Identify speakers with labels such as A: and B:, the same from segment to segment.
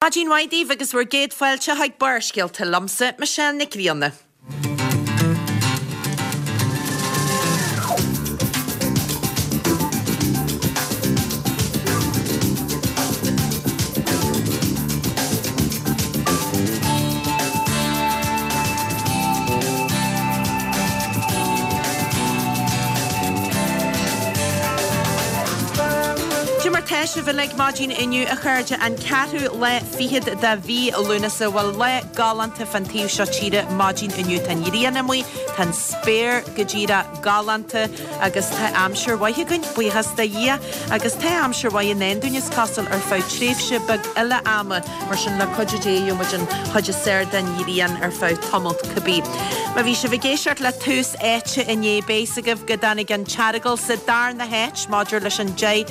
A: Maidin mhaith daoibh agus bhur gcéad fáilte chuig Barrscéalta liomsa, Michelle Nic Grianna. Cé mar tá sibh uilig maidin inniu a chairde, an ceathrú lá fichead de mhí Lúnasa. Bhuel lá galánta fán taobh seo tíre maidin inniu. Tá an ghrian amuigh, tá an spéir go díreach galánta agus tá aimsir mhaith againn, buíochas do Dhia. Agus tá aimsir mhaith i ndán dúinn is cosúil ar feadh tréimhse beag eile ama, mar sin le cuidiú Dé gheobhaidh muid an chuid is fearr den ghrian ar feadh tamalt cibé. Má bhí sibh ag éisteacht le Tús Áite inné beidh fhios agaibh go dtáinig an tEaragail sa darna háit maidir leis an 10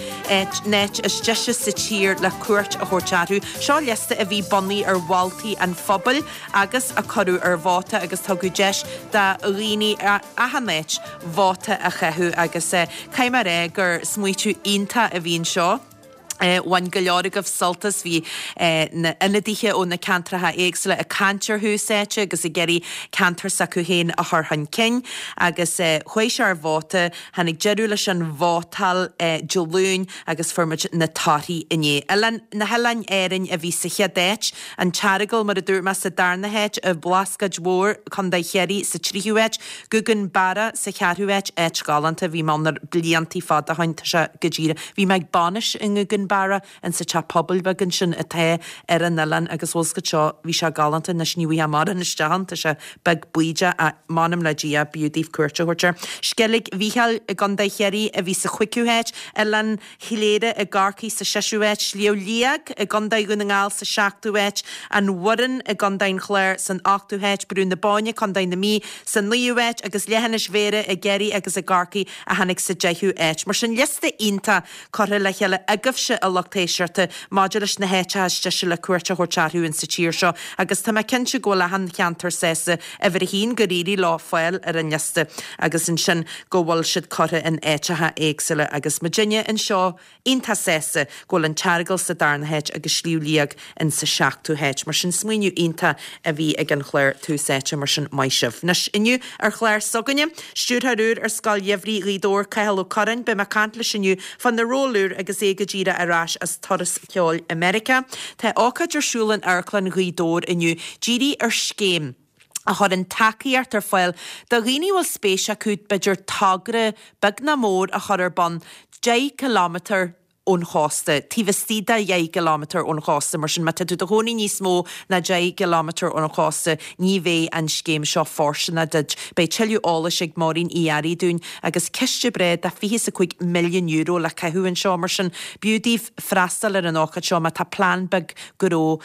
A: n-áit is deise sa tír le cuairt a thabhairt orthu. Seo liosta a bhí bunaithe ar mholtaí an phobail agus a cuireadh ar vóta agus tugadh deis do dhaoine achan áit vóta a chaitheamh agus caithfidh mé a rá gur smaoitiú iontach a bhí anseo. Bhain go leor agaibh sult as, bhí na ionadaithe ó na ceantracha éagsúla ag caint ar Thús Áite agus ag iarraidh ceantar s'acu féin a chur chun cinn agus chuaigh sé ar vóta, tháinig deireadh leis an vótáil Dé Luain agus fuair muid na torthaí inné. Oileán, na hOileáin Árainn a bhí sa chéad áit, An tEaragail mar a dúirt mé sa darna háit, An Bhlascaoid Mhór, Contae Chiarraí sa tríú háit, Gougane Barra sa cheathrú háit, áit ghalánta, bhí mé ann na bliantaí fada ó shin, tá sé go díreach, bhí mé ag bainis i nGougane Barra, in sa teach pobail beag ansin atá ar an oileán agus bhfuil 's agat seo, bhí sé galánta, anois ní bhfaighfeá mórán isteach ann, tá sé beag baoideach ach m'anam le Dia, b'fhiú daoibh cuairt a thabhairt air. Sceilg Mhichíl i gContae Chiarraí a bhí sa chúigiú háit, Oileán Chléire i gCorcaigh sa seisiú háit, Sliabh Liag i gContae Dhún na nGall sa seachtú háit, An Bhoireann i gContae an Chláir san ochtú háit, Brú na Bóinne, Contae na Mí sa naoú háit agus Leithinis Bhéarra i gCiarraí agus i gCorcaigh a tháinig sa deichiú háit. Mar sin, liosta iontach curtha le chéile agaibhse, a lucht éisteachta, maidir leis na háiteacha is deise le cuairt a thabhairt orthu in sa tír seo agus tá mé cinnte go bhfuil achan cheantar sásta uimhir a haon gur éirigh leo fáil ar an liosta agus ansin go bhfuil siad curtha in áiteacha éagsúla agus muidinne anseo iontach sásta go bhfuil an tEaragail sa darna háit agus Sliabh Liag in sa seachtú háit. Mar sin smaoineamh iontach a bhí ag an chlár Tús Áite mar sin maith sibh. Anois inniu ar chlár s'againne, stiúrthóir úr ar Scoil Gheimhridh Ghaoth Dobhair, Cathal Ó Curráin, beidh mé ag caint leis inniu fá na róil úr agus é go díreach ar ais as turas ceoil i Meiriceá. Tá ócáid ar siúl in Amharclann Ghaoth Dobhair inniu dírithe ar scéim a chuireann tacaíocht ar fáil do dhaoine a bhfuil spéis acu b'fhéidir togra beag nó mór a chur ar bun 10 kilometre ón chósta, taobh istigh de dheich gcileámetar ón chósta. Mar sin, má tá tú i do chónaí níos mó ná 10 gcileámetar ón chósta, ní bheidh an scéim seo fóirsteanach duit. Beidh tuilleadh eolais ag Máirín Uí Fhearraigh dúinn agus ciste breá de €25 milliún le caitheamh anseo. Mar sin, b'fhiú daoibh freastal ar an ócáid seo má tá plean beag gnó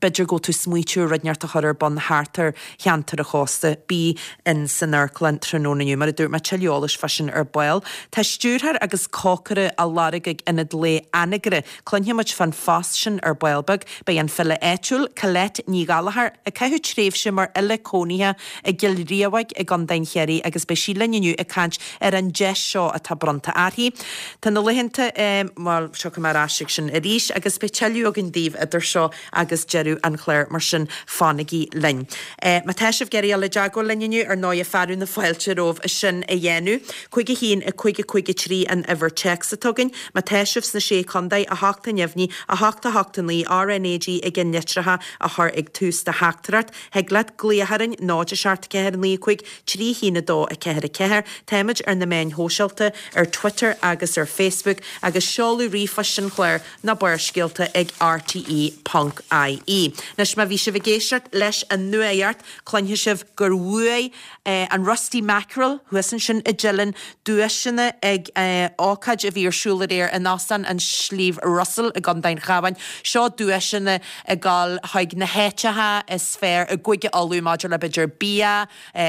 A: B'fhéidir go bhfuil tú ag smaoitiú ar rud inteacht a chur ar bun thart ar cheantar an chósta. Bí in san amharclann tráthnóna inniu. Mar a dúirt mé, tuilleadh eolais fá sin ar ball. Tá stiúrthóir agus cócaire á lorg ag Ionad Lae Anagaire. Cluinfidh muid fán phost sin ar ball beag. Beidh an file áitiúil, Colette Ní Ghallchóir, ag caitheamh tréimhse mar fhile cónaithe i gCill Riabhaigh i gContae an Chiarraí agus beidh sí linn inniu ag caint ar an deis seo atá bronnta uirthi. Tá na laethanta, bhuel, tiocfaidh mé ar ais ag sin arís agus beidh tuilleadh againn daoibh idir seo agus deireadh an chláir, mar sin fanaigí linn. Má tá sibh ag iarraidh dul i dteagmháil linn inniu, ar ndóighe, fearadh na fáilte romhaibh sin a dhéanamh. 5 1 5 5 3 an uimhir téacs atá againn. Má tá sibh sna Sé Chontae, 8 neamhní, 8 8 9, RnaG i gceannlitreacha a chur ag tús do theachtaireacht. Thig leat glaoch orainn, 0 7 4 9 5 3 1 2 4 4. Táimid ar na meáin shóisialta, ar Twitter agus ar Facebook, agus seoladh ríomhphoist an chláir ná Barrscéalta ag rte ponc ie. Anois má bhí sibh ag éisteacht leis an nuacht, cluinfidh sibh gur bhuaigh an Rusty Mackerel thuas ansin i dTeileann duaiseanna ag ócáid a bhí ar siúl aréir in Óstán an Sliabh Russell i gContae an Chabháin. Seo duaiseanna ag dul chuig na háiteacha is fearr i gCúige Uladh maidir le b'fhéidir bia,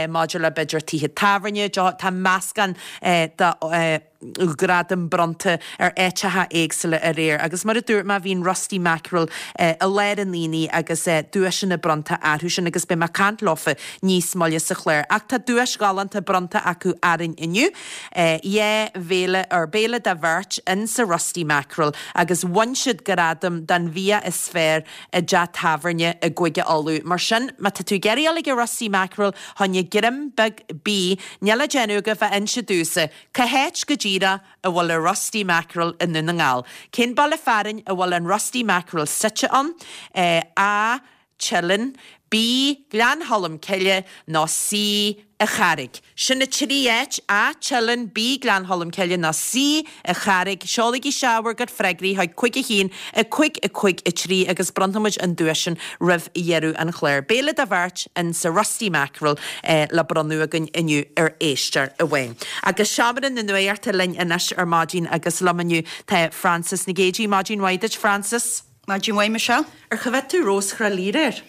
A: maidir le b'fhéidir tithe tábhairne, tá meascán de. gradaim bronnta ar áiteacha éagsúla aréir agus mar a dúirt mé bhí an Rusty Mackerel i lár an aonaigh agus duaiseanna bronnta orthu sin agus beidh mé ag caint leofa níos moille sa chlár. Ach tá duais ghalánta bronnta acu orainn inniu, dhá bhéile, or béile do bheirt in sa Rusty Mackerel agus bhain siad gradam don bhia is fearr i dteach tábhairne i gCúige Uladh. Mar sin, má tá tú ag iarraidh dul ag an Rusty Mackerel choinne greim beag bídh, níl le déanamh agaibh ach inse domhsa cá háit go díreach a bhfuil an Rusty Mackerel i nDún na nGall. Cén baile fearainn a bhfuil an Rusty Mackerel suite ann? A, Teileann, B, Gleann Cholm Cille nó C, An Charraig. Sin na trí áit, A, Teileann, B, Gleann Cholm Cille nó C, An Charraig. Seolaigí isteach bhur gcuid freagraí chuig 5 1 5 5 3 agus bronnfaimid an duais sin roimh dheireadh an chláir. Béile do bheirt in sa Rusty Mackerel le bronnadh againn inniu ar éisteoir amháin. Agus Seomra na Nuachta linn anois ar maidin agus liom inniu tá Frances Nic Géadaigh. Maidin mhaith duit, Frances.
B: Maidin mhaith, Michelle.
A: Ar choimhéad tú Rós Thrá Lí aréir?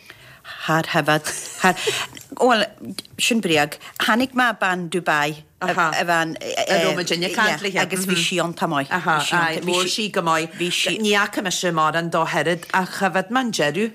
B: Char choimhéad. Char. Bhuel, sin bréag. Chonaic mé bean Dubai. A bhean.
A: A raibh muid ag caint léi.
B: Agus bhí sí iontach maith.
A: Aha, aye, bhí sí go maith. Bhí sí. Ní fhaca mise mórán dá oiread ach choimhéad mé an deireadh.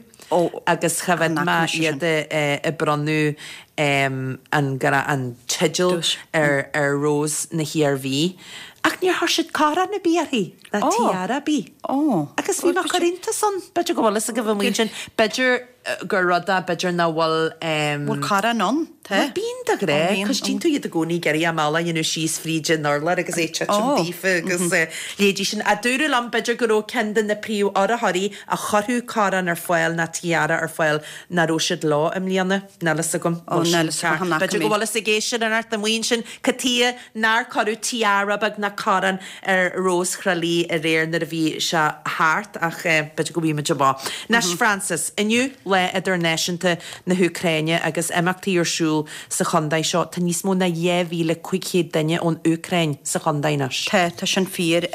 A: Agus choimhéad mé iad ag bronnadh an teideal ar Rós na hIarmhí. Ach níor chuir siad coróin ar bith uirthi, ná tiara ar bith. Agus bhí mé ag cur iontas ann. B'fhéidir go bhfuil fhios agaibh amuigh ansin. B'fhéidir gur rud é, b'fhéidir nach bhfuil.
B: Bhfuil coróin ann?
A: Tá. Bhuel, bíonn de ghnáth, cos tchíonn tú iad i gcónaí ag iarraidh a mbealach a dhéanamh síos fríd an urlár agus é ag titim daofa agus leithéidí sin. Ach dúradh liom, b'fhéidir go raibh ceann de na príomh-urraitheoirí a chuirfeadh coróin ar fáil ná tiara ar fáil nach raibh siad leo i mbliana. Níl fhios agam.
B: Ó, níl fhios agam.
A: B'fhéidir go bhfuil fhios ag éisteoir inteacht amuigh ansin cad chuige nár cuireadh tiara beag ná coróin ar Rós Thrá Lí aréir nuair a bhí sé thart ach b'fhéidir go bhfaighidh muid amach. Anois Frances, inniu Lá Idirnáisiúnta na hÚcráine agus imeachtaí ar siúl sa chontae seo. Tá níos mó ná 2,500 duine ón Úcráin sa chontae anois.
B: Tá, tá sin fíor.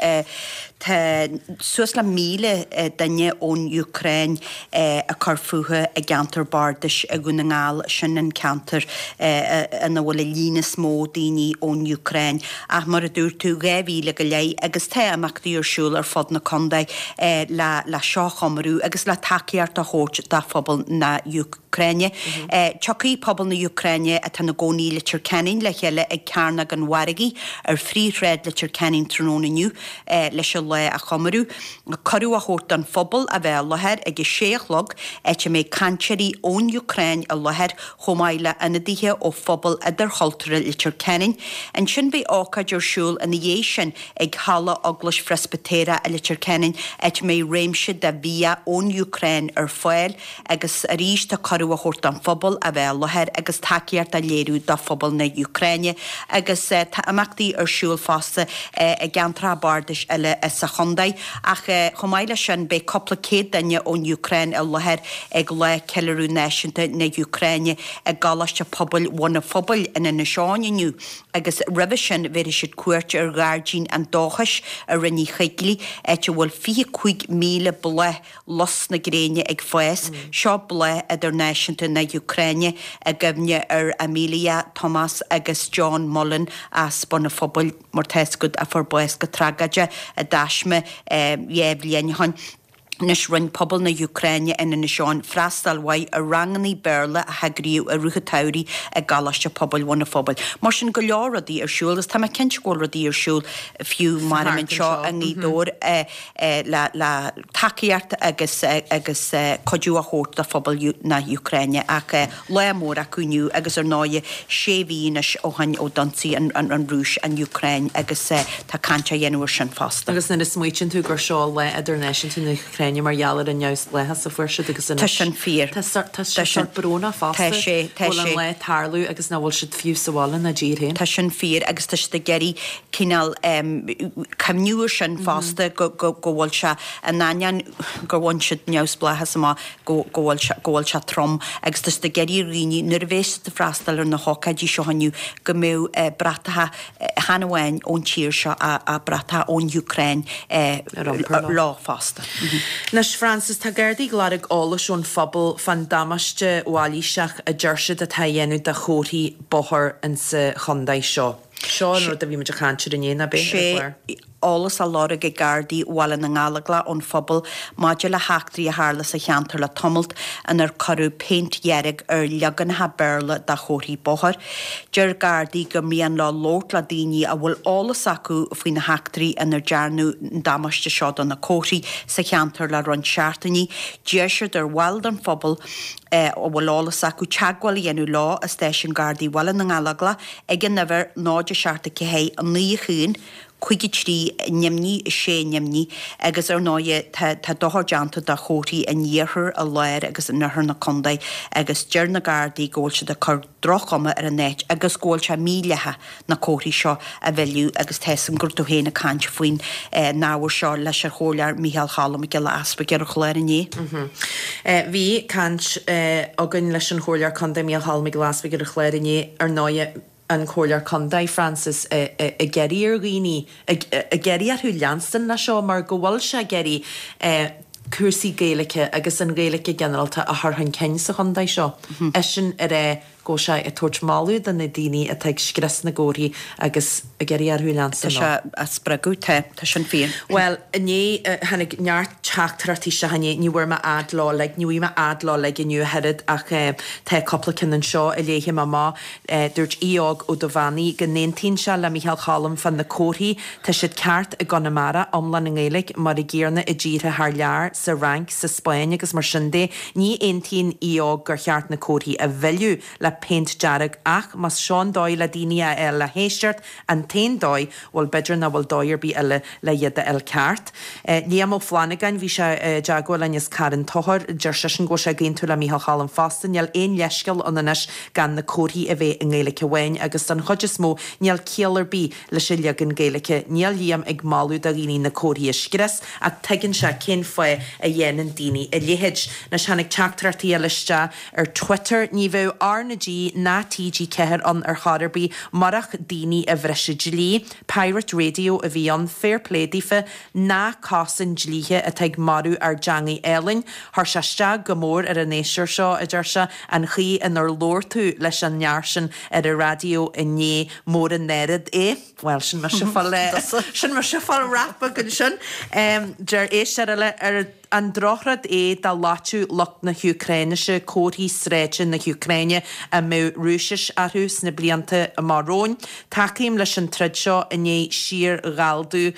B: Tá suas le 1,000 duine ón Úcráin ag cur fúthu i gceantar bardais i Dhún na nGall, sin an ceantar ina bhfuil an líon is mó daoine ón Úcráin. Ach mar a dúirt tú, 2,000 go leith agus tá imeachtaí ar siúl ar fud na contae le seo a chomóradh agus le tacaíocht a thabhairt do phobal na hÚcráine. Tiocfaidh pobal na hÚcráine atá ina gcónaí i Leitir Ceanainn le chéile ag Cearnóg an Mhargaidh ar phríomhshráid Leitir Ceanainn tráthnóna inniu leis an lá a chomóradh. Cuireadh á thabhairt don phobal a bheith i láthair ag a sé a chlog, áit a mbeidh cainteoirí ón Úcráin i láthair chomh maith le ionadaithe ó phobal idirchultúrtha Leitir Ceanainn. Ansin beidh ócáid ar siúl ina dhiaidh sin ag Halla Eaglais Phreispitéireach i Leitir Ceanainn, áit a mbeidh réimse de bhia ón Úcráin ar fáil. Agus arís tá cuireadh á thabhairt don phobal a bheith i láthair agus tacaíocht á léiriú do phobal na hÚcráine. Agus tá imeachtaí ar siúl fosta i gceantracha bardais eile sa chontae. Ach chomh maith leis sin beidh cúpla céad duine ón Úcráin i láthair ag Lá Ceiliúradh Náisiúnta na hÚcráine i gColáiste Pobail Bhun an Phobail in Inis Eoghain inniu. Agus roimhe sin bhéarfaidh siad cuairt ar Ghairdín an Dóchais i Rinn Uí Choigligh, áit a bhfuil 25,000 bláth lus na gréine ag fás. Seo bláth idirnáisiúnta na hÚcráine i gcuimhne ar Amelia, Tomás agus John Mullen as Bun an Phobail, mar tá fhios agat, a fuair bás go tragóideach i dtaisme dhá bhliain ó shin. Anois rinne pobal na hÚcráine in Inis Eoghain freastal mhaith ar rangannaí Béarla a heagraíodh i rith an tsamhraidh i gColáiste Pobail Bhun an Phobail. Mar sin, go leor rudaí ar siúl agus tá mé cinnte go bhfuil rudaí ar siúl fiú maram anseo i nGaoth Dobhair. le tacaíocht agus agus cuidiú a thabhairt do phobal na hÚcráine ach lá mór acu inniu agus ar ndóigh sé mhí anois ó shin ó d'ionsaigh an Rúis an Úcráin agus tá caint á dhéanamh ar sin fosta.
A: Agus nuair a smaoitíonn tú gur seo Lá Idirnáisiúnta na hÚcráine mar gheall ar an neamhspleáchas a fuair siad agus anois
B: Tá sin fíor.
A: tá sé sórt brónach fosta
B: Tá sé,
A: tá go bhfuil an
B: sé.
A: lá ag tarlú agus nach bhfuil siad fiú sa bhaile ina dtír féin.
B: Tá sin fíor agus tá siad ag iarraidh cineál cuimhniú ar sin fosta go bhfuil sé in ainneoin gur bhain siad neamhspleáchas amach go bhfuil sé go bhfuil sé trom agus tá siad ag iarraidh ar dhaoine nuair a bheas siad ag freastal ar na hócáidí seo inniu go mbeadh bratacha chan amháin ón tír seo ach bratacha ón Úcráin leo fosta.
A: Anois Frances, tá Gardaí ag lorg eolais ón phobal fán damáiste mhailíseach a deir siad atá á dhéanamh do chomharthaí bóthair insa chontae seo. Seo an rud a bhí muid ag caint air inné, nach b'é, ar an
B: chlár? Eolas á lorg ag Gardaí Bhaile na nGallóglach ón phobal maidir le heachtraí a tharla sa cheantar le tamalt inar cuireadh péint dhearg ar leaganacha Béarla de chomharthaí bóthair. Deir Gardaí gur mian leo labhairt le daoine a bhfuil eolas acu faoi na heachtraí inar dearnadh an damáiste seo do na comharthaí sa cheantar le roinnt seachtainí. D'iarr siad ar bhaill den phobal a bhfuil eolas acu teagmháil a dhéanamh leo i Stáisiún Gardaí Bhaile na nGallóglach ag an uimhir 0 7 4 9 1 5 3 0 6 0 agus ar ndóighe tá tá dochar déanta do chomharthaí in iarthar, i lár agus in oirthear na contae agus deir na Gardaí go bhfuil siad ag cur droch-chuma ar an áit agus go bhfuil sé mídhleathach na comharthaí seo a mhilleadh agus tá 'fhios a'm go raibh tú féin ag caint faoin n-ábhar seo leis an Chomhairleoir Micheál Cholm Mac Giolla Easbuig ar an chlár inné.
A: Bhí caint againn leis an Chomhairleoir Contae Micheál Cholm Mac Giolla Easbuig ar an chlár inné ar ndóighe. an Comhairleoir Contae, Frances, ag iarraidh ar dhaoine, ag iarraidh orthu leanstan leis seo mar go bhfuil sé ag iarraidh cúrsaí Gaeilge agus an Ghaeilge go ginearálta a chur chun cinn sa chontae seo. Eisean ag rá go bhfuil sé ag tabhairt moladh do na daoine atá ag scrios na gcomharthaí agus ag iarraidh orthu leanstan
B: leo. Tá sé á spreagadh, tá, tá sin fíor.
A: Bhuel, inné, tháinig neart teachtaireachtaí isteach inné, ní bhfuair mé fhad leo uilig, ní bhfaighidh mé fhad leo uilig inniu ach oiread ach tá cúpla ceann anseo a léifidh mé amach. Dúirt Aodh Óg Ó Duibheannaigh go n-aontaíonn sé le Micheál Cholm fá na comharthaí, tá siad ceart i gConamara, iomlán i nGaeilge, mar a gcéanna i dtíortha thar lear, sa Fhrainc, sa Spáinn agus mar sin de. Ní aontaíonn Aodh Óg gur cheart na comharthaí a mhilleadh le péint dearg ach más seo an dóigh le daoine a fháil le héisteacht, an t-aon dóigh, bhuel b'fhéidir nach bhfuil dóigh ar bith eile le iad a fháil ceart. Liam Ó Flannagáin, bhí sé i dteagmháil linn as Carn Tóchair, deir seisean go bhfuil sé ag aontú le Micheál Cholm fosta, níl aon leithscéal ann anois gan na comharthaí a bheith i nGaeilge amháin agus don chuid is mó níl ciall ar bith leis an leagan Gaeilge. Níl Liam ag moladh do dhaoine na comharthaí a scrios ach tuigeann sé cén fáth a dhéanann daoine a leithéid. Anois tháinig teachtaireachtaí eile isteach ar Twitter, ní bheadh R na G ná TG4 ann ar chor ar bith murach daoine a bhris an dlí. Pirate Radio a bhí ann, fair play daofa, ná cosain dlíthe atá ag marú ár dteangaidh álainn. Chuir sé isteach go mór ar an éisteoir seo, a deir sé, an chaoi inar labhair tú leis an fhear sin ar an raidió inné, mór an náire é. Bhuel, sin mise ag fáil, sin mise ag fáil rap beag ansin. Deir éisteoir eile, ar an drochrud é dá loitfeadh lucht na hÚcráinise comharthaí sráide na hÚcráine a mbeadh Rúisis orthu sna blianta amach romhainn. Tacaím leis an troid seo i ndiaidh síor-ghalldú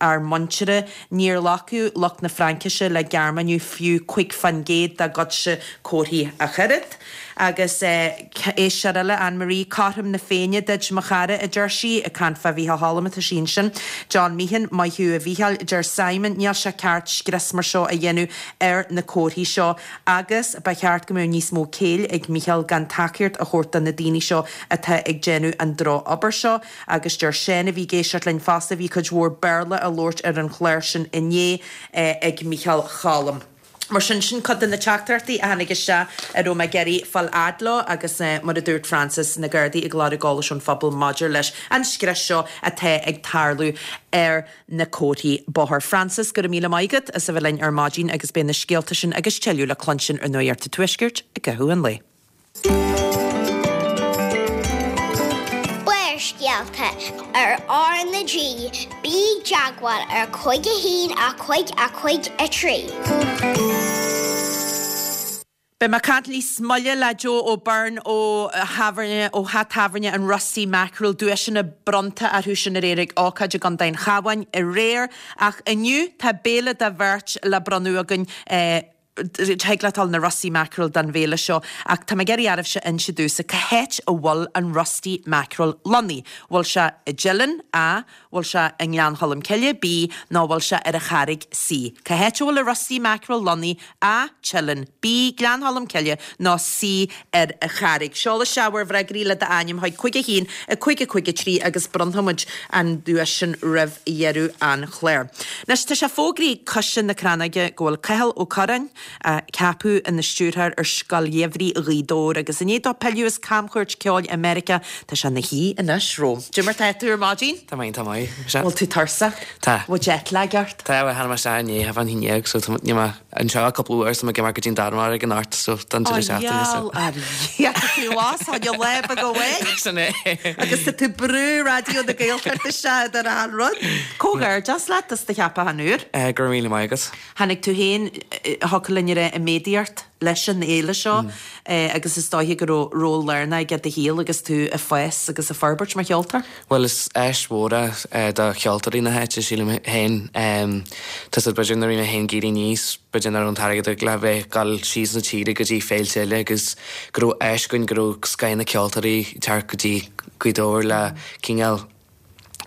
A: ár muintire. Níor ghlacfadh lucht na Fraincise le Gearmáiniú fiú 5% dá gcuidse comharthaí ach oiread. Agus éisteoir eile, Anne Marie, cothrom na Féinne duit, mo chara, a deir sí, ag caint fá Mhícheál Cholm atá sí ansin. John Meehan, maith thú a Mhícheáil, a deir Simon, níl sé ceart scrios mar seo a dhéanamh ar na comharthaí seo agus ba cheart go mbeadh níos mó céill ag Mícheál gan tacaíocht a thabhairt do na daoine seo atá ag déanamh an drochobair seo. Agus deir Seán, a bhí ag éisteacht linn fosta, bhí cuid mhór Béarla á labhairt ar an chlár sin inné ag Mícheál Cholm. Mar sin, sin cuid de na teachtaireachtaí a tháinig isteach a raibh mé ag iarraidh fáil fhad leo agus mar a dúirt Frances, na Gardaí ag lorg eolais ón phobal maidir leis an scrios seo atá ag tarlú ar na comharthaí bóthair. Frances, go raibh míle maith agat as a bheith linn ar maidin agus beidh na scéalta sin agus tuilleadh le cluinstin ar Nuacht an Tuaiscirt i gcaitheamh an lae.
C: Barrscéalta ar R na G, bí i dteagmháil ar 5 1 5 5 3.
A: Beidh mé ag caint níos moille le Joe O'Byrne ó thábhairne, ó theach tábhairne an Rusty Mackerel, duaiseanna bronnta orthu sin aréir ag ócáid i gContae an Chabháin aréir. Ach inniu tá béile do bheirt le bronnadh againn. Thig leat dul na Rusty Mackerel don bhéile seo ach tá mé ag iarraidh oraibhse inse domhsa cá háit a bhfuil an Rusty Mackerel lonnaithe. Bhfuil sé i dTeileann, A, bhfuil sé i nGleann Cholm Cille, B, nó bhfuil sé ar an Charraig, C? Cá háit a bhfuil an Rusty Mackerel lonnaithe, A, Teileann, B, Gleann Cholm Cille, nó C, ar an Charraig? Seol isteach bhur bhfreagraí le d'ainm chuig 5 1 5 5 3 agus bronnfaidh muid an duais sin roimh dheireadh an chláir. Anois tá sé fógraithe ag Coiste na Crannóige go bhfuil Cathal Ó Curráin. a ceapadh ina stiúrthóir ar Scoil Gheimhridh Ghaoth Dobhair agus i ndiaidh dó pilleadh as camchuairt ceoil i Meiriceá, tá sé ina shuí anois romham. Cad é mar tá tú ar maidin?
D: Tá mé iontach maith.
A: Bhfuil tú tuirseach?
D: Tá.
A: Bhfuil jet lag ort?
D: Tá, bhuel tháinig mé isteach inné a 11:30 so tá níl mé anseo ach cúpla uair so mé ag imeacht go dtí an Danmhairg anocht so don deireadh seachtaine so.
A: Ó ar tá tú as on your lap ag away.
D: Sin é.
A: Agus tá tú ag brú Raidió na Gaeltachta isteach idir achan rud. Comhghairdeas leat as do cheapachán úr.
D: Go raibh míle maith agat.
A: Tháinig tú féin, thiocfadh linn a rá, i méadaíocht leis an fhéile seo agus is dóiche go raibh ról lárnach aige i do shaol agus tú ag fás agus ag forbairt mar cheoltóir.
D: Bhuel, is áis mhór é do cheoltóirí na háite, sílim féin. Tá 's agat, b'fhéidir nuair a bhí mé féin ag éirí aníos, b'fhéidir nach raibh an t-airgead ag le bheith ag dul síos na tíre go dtí féilte eile agus go raibh áis againn go raibh scoth na ceoltóirí ag teacht go dtí Gaoth Dobhair le cineál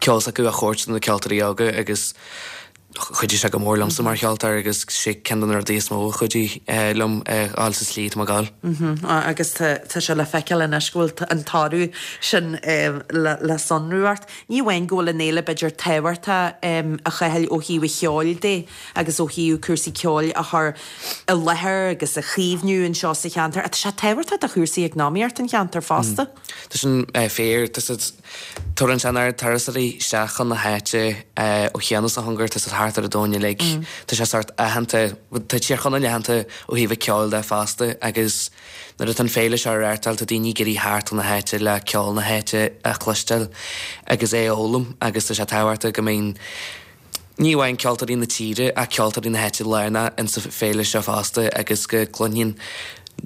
D: ceol s'acu a thabhairt do na ceoltóirí óga agus chuidigh sé go mór liomsa mar cheoltóir agus sé ceann de na rudaí is mó a chuidigh liom a dhul sa tslí atá mé ag dul.
A: Agus tá sé le feiceáil anois go bhfuil an toradh sin le sonrú ort. Ní amháin go bhfuil an fhéile b'fhéidir tábhachtach a Chathail ó thaobh an cheoil de agus ó thaobh cúrsaí ceoil a chur i láthair agus a chaomhnú anseo sa cheantar ach tá sé tábhachtach do chúrsaí eacnamaíocht an cheantair fosta.
D: Tá sin fíor. Tá siad, tabharann sé an oiread turasóirí isteach chun na háite ó chian is ó chóngar, tá siad thart ar an domhan uilig. Tá sé sórt aitheanta, tá Tír Chonaill aitheanta ó thaobh an ceoil de fosta agus nuair atá an féile seo á reáchtáil tá daoine ag iarraidh theacht chun na háite le ceol na háite a chloisteáil agus é a fhoghlaim agus tá sé tábhachtach go mbíonn Ní amháin ceoltóirí na tíre ach ceoltóirí na háite lárnach insa féile seo fosta agus go gcluinfidh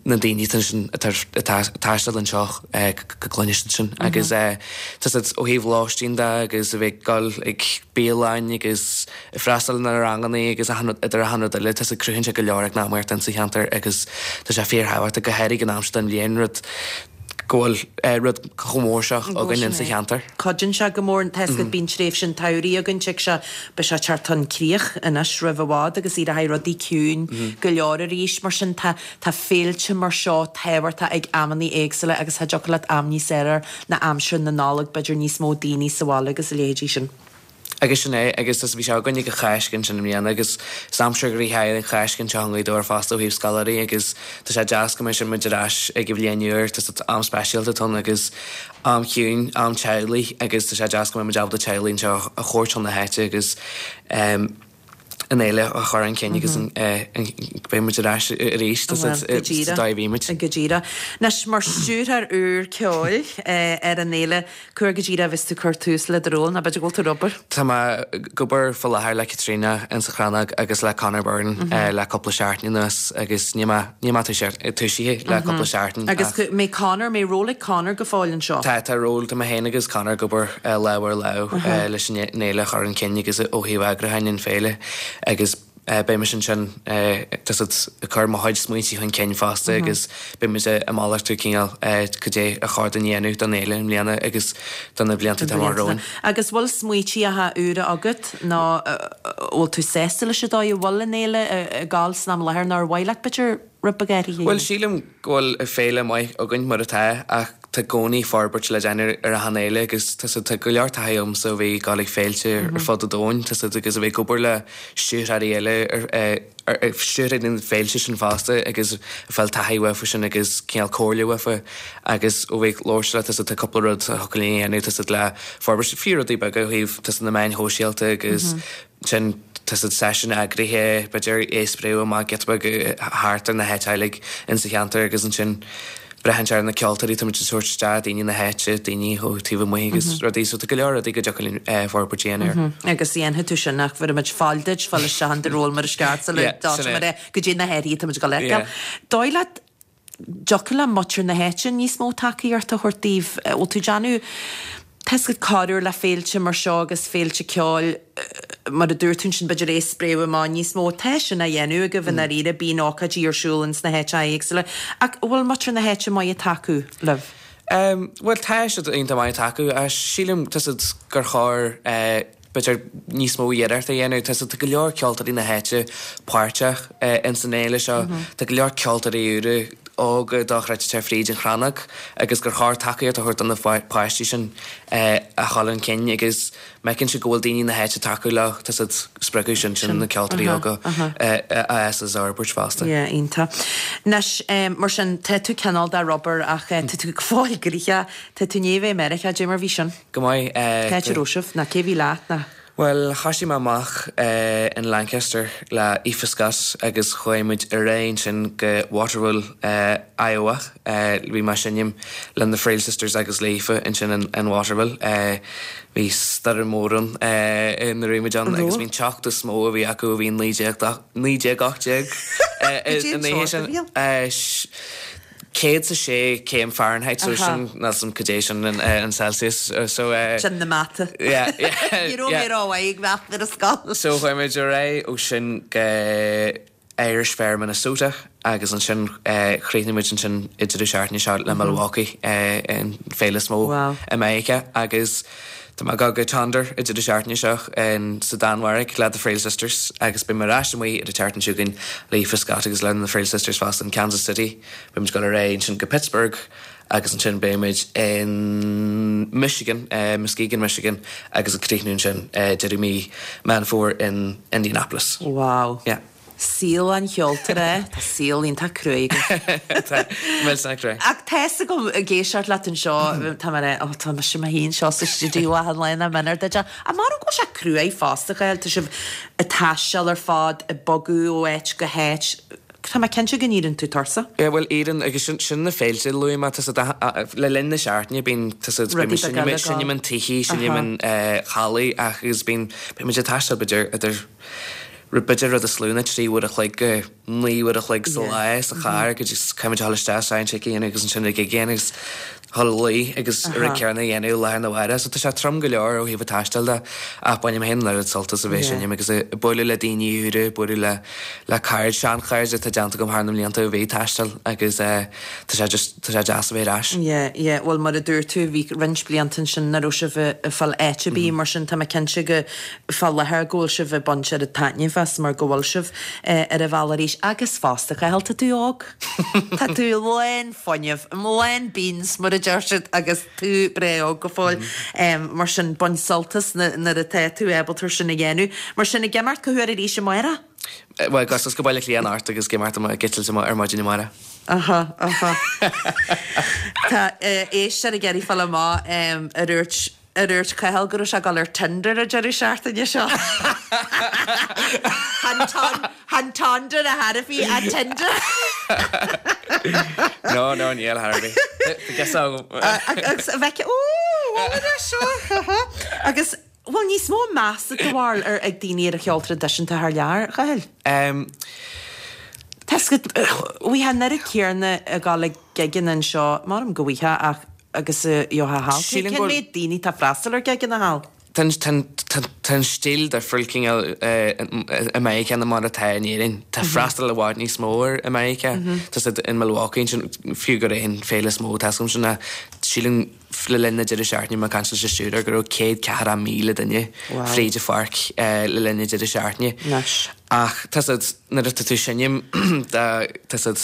D: na daoine sin atá ag taisteal anseo go gcluinfidh siad sin agus tá siad ó thaobh lóistín de agus a bheith ag dul ag bialann agus ag freastal ar na ranganna agus achan rud idir achan rud eile tá siad cruthaíonn sé go leor eacnamaíocht insa cheantar agus tá sé fíorthábhachtach go háirithe ag an am seo den bhliain rud go bhfuil rud chomh mór seo againn insa cheantar.
A: Cuidíonn sé go mór, tá 'fhios agat, bíonn tréimhse an tsamhraidh againn, tig sé, beidh sé ag teacht chun críoch anois roimh i bhfad agus éireoidh rudaí ciúin go leor arís, mar sin tá, tá féilte mar seo tábhachtach ag amannaí éagsúla agus cha dtiocfadh leat am níos fhearr ná aimsir na Nollag, b'fhéidir níos mó daoine sa bhaile agus a leithéidí sin.
D: Agus sin é, agus bhí sé againn ag an Cháisc ansin i mbliana agus is aimsir ghnoitheach é an Cháisc anseo i nGaoth Dobhair fosta ó thaobh scoláirí agus tá sé deas go mbeidh muid ar ais ag an bhliain úr, tá am speisialta atá ann agus am chiúin, am teaghlaigh agus tá sé deas go mbeidh muid ábalta teaghlaigh anseo a thabhairt chun na háite agus an fhéile a chur chun cinn agus beidh muid ar ais arís sa dóigh a bhí muid.
A: Go díreach. Anois, mar stiúrthóir úr ceoil ar an fhéile, cá huair go díreach a bheas tú ag cur tús le do ról, nó b'fhéidir go bhfuil tú ar obair?
D: Tá mé ag obair faoi láthair le Caitríona insa Chrannóg agus le Conor Byrne le cúpla seachtain anuas agus níl mé níl mé tosaithe le cúpla seachtain
A: Agus mbeidh Conor, mbeidh ról ag Conor go fóill anseo?
D: Tá, tá ról, tá mé féin agus Conor ag obair lámh ar lámh leis an fhéile a chur chun cinn agus ó thaobh eagrúcháin an féile agus beidh mise ansin tá 's agat ag cur mo chuid smaointe chun cinn fosta agus beidh muid ag malartú cineál cad é a chóir dúinn a dhéanamh don fhéile i mbliana agus do na blianta atá amach romhainn.
A: Agus bhfuil smaoitíocha úra agat nó bhfuil tú sásta leis an dóigh a bhfuil an fhéile ag gabháil san am i láthair nó ar mhaith leat b'fhéidir rud beag áirithe a
D: dhéanamh? Bhuel sílim go bhfuil féile maith againn mar atá ach tá i gcónaí forbairt le déanamh ar achan fhéile agus tá 's agat tá go leor taithí agamsa ó bheith ag dul ag féilte ar fud an domhain tá 's agat agus a bheith ag obair le stiúrthóirí eile ar stiúrthóirí na féilte sin fosta agus ag fáil taithí uafa sin agus cineál comhairle uafa agus ó bheith ag labhairt le tá 's agat tá cúpla rud a thiocfadh linn a dhéanamh tá 's agat le forbairt fiú rudaí beaga ó thaobh tá 's agat na meáin shóisialta agus sin tá 's agat seisiún eagraithe, b'fhéidir é a spréadh amach giota beag thart ar na háiteanna insa cheantar agus ansin braitheann sé ar na ceoltóirí tá muid ag tabhairt isteach, daoine na háite, daoine ó taobh amuigh agus rudaí, so tá go leor rudaí go dtiocfadh linn forbairt a dhéanamh
A: air. Agus dhéanfaidh tú sin ach bhéarfaidh muid faill duit fáil isteach in do ról mar is ceart sula dtosaíonn muid go dtí na hathruithe atá muid ag dul a fheiceáil. Dóigh leat dtiocfadh le muintir na háite níos mó tacaíocht a thabhairt daoibh? Bhfuil tú ag déanamh, tá 'fhios agat corruair le féilte mar seo agus féilte ceoil, mar a dúirt tú ansin, b'fhéidir é a spréadh amach níos mó. Tá sin á dhéanamh agaibh i ndáiríre, bíonn ócáidí ar siúl ins na háiteacha éagsúla. Ach bhfuil muintir na háite maith ag tacú libh?
D: Bhuel, tá siad iontach maith ag tacú. Sílim, tá 'fhios agat, gur chóir b'fhéidir níos mó iarracht a dhéanamh. Tá 'fhios agat, tá go leor ceoltóirí na háite páirteach ins an fhéile seo. Tá go leor ceoltóirí úra. óga dochreidte fríd an chrannóg agus gur chóir tacaíocht a thabhairt do na páistí sin a dhul chun cinn agus má fheiceann siad go bhfuil daoine na háite ag tacú leo, tá siad spreagadh sin sin na ceoltóirí óga a fhás is a fhorbairt fosta.
A: Yeah, iontach. Anois, mar sin, tá tú cineál de rubber ach tá tú go fóill gnoitheach. Tá tú i ndiaidh a bheith i Meiriceá, cad é mar bhí sin?
D: Go maith.
A: Cá háit a raibh sibh? Nó cé bhí leat? Nó.
D: Bhuel, thoisigh mé amach in Lancaster le Aoife Scott agus chuaigh muid ar aghaidh ansin go Waterville, Iowa. Bhí mé ag seinm le na Friel Sisters agus le Aoife ansin in Waterville. Bhí stoirm mhór ann nuair a bhí muid ann agus bhí an teocht is mó a bhí acu a bhí 19, 18 an oíche sin. 106 céim Fahrenheit, so sin, níl a fhios agam cad é sin in Celsius, so.
A: Sin na mata.
D: Yeah, yeah.
A: Ní raibh mé rómhaith ag mata ar an scoil.
D: So chuaigh muid ar aghaidh ó sin go Irish Fair Minnesota agus ansin chríochnaigh muid ansin i deireadh seachtaine seo le Milwaukee, an féile is mó i Meiriceá agus tá mé ag dul go Tonder i deireadh seachtaine seo sa Danmhairg le The Friel Sisters agus beidh mé ar ais amuigh ar an tseachtain seo chugainn le Aoife Scott agus le na Friel Sisters fosta in Kansas City. Beidh muid ag dul ar aghaidh ansin go Pittsburgh agus ansin beidh muid in Michigan, Muskegon, Michigan agus ag críochnú ansin deireadh mí Meán Fómhair in Indianapolis.
A: Wow.
D: Yeah.
A: Saol an cheoltóra, tá saol iontach cruaidh agat.
D: Tá, millteanach cruaidh.
A: Ach tá's agam, ag éisteacht leat anseo, tá mé oh tá mise mé féin seo sa stiúideo achan lá nach méanar duit é. Ach mara go bhfuil sé cruaidh fosta, a Chathail, tá sibh ag taisteal ar fad, ag bogadh ó áit go háit, Tá mé cinnte go n-éiríonn tú tuirseach.
D: Yeah, bhuel, éiríonn, agus sin, sin na féilte a luaigh mé, tá siad, le linn na seachtaine bíonn, tá siad, bíonn muid, seinnim, seinnim in tithe, seinnim in hallaí ach agus bíonn, bíonn muid ag taisteal b'fhéidir idir, b'fhéidir rud is lú ná 3 uair a chloig go 9 uair a chloig sa lá sa charr go dtí, caithfidh muid a dhul isteach sound check a dhéanamh agus ansin an gig a dhéanamh agus dhul a luí agus an rud céanna a dhéanamh lá arna mhárach. So tá sé trom go leor ó thaobh an taistil de ach bainim féin an oiread sult as a bheith ag seinm agus ag bualadh le daoine úra, ag bualadh le le cairde, seanchairde atá déanta agam thar na mblianta ó bheith ag taisteal agus tá sé just, tá sé deas a bheith ar ais.
A: Yeah, yeah, bhuel mar a dúirt tú bhí roinnt blianta ansin nach raibh sibh ag fáil áit ar bith mar sin tá mé cinnte go fá láthair go bhfuil sibh ag baint oiread taitnimh as mar go bhfuil sibh ar an bhealach arís agus fosta Cathal, tá tú óg. Tá tú lán fuinnimh, lán beans mar a deir siad agus tú breá óg go fóill. Mar sin, bain sult as nuair atá tú ábalta sin a dhéanamh. Mar sin, ag imeacht cá huair arís amárach?
D: Bhuel, ag dul go Baile Átha Cliath anocht agus ag imeacht ag eitilt ar maidin amárach.
A: Aha, aha. Tá éisteoir ag iarraidh fáil amach ar dhúirt Ar dhúirt Cathal go raibh sé ag dul ar Tinder an deireadh seachtaine seo? Chan Tinder a thairbhí, ach Tinder.
D: No, no, níl a thairbhí. Tá guess agam.
A: Agus a bheith, ó, bhuel anois seo, Agus bhfuil níos mó measa do bharúil ar ag daoine ar an cheol traidisiúnta thar lear, a Chathail? Tá 's agat, bhí an oiread céanna ag dul ag gigeanna anseo, m'anam go bhfaighfeá ach agus a gheofá thall. Cén méid daoine atá ag freastal ar gigeanna thall?
D: Tá an stíl difriúil cineál i Meiriceá ná mar atá in Éirinn. Tá freastal i bhfad níos mó ar i Meiriceá. Tá siad in Milwaukee ansin, fiú gurb é an féile is mó atá agam sin ná sílim le linn na deireadh seachtaine mé ag caint leis an stiúrthóir go raibh 104,000 duine fríd an pháirc le linn na deireadh seachtaine. Ach tá siad nuair atá tú ag seinm tá siad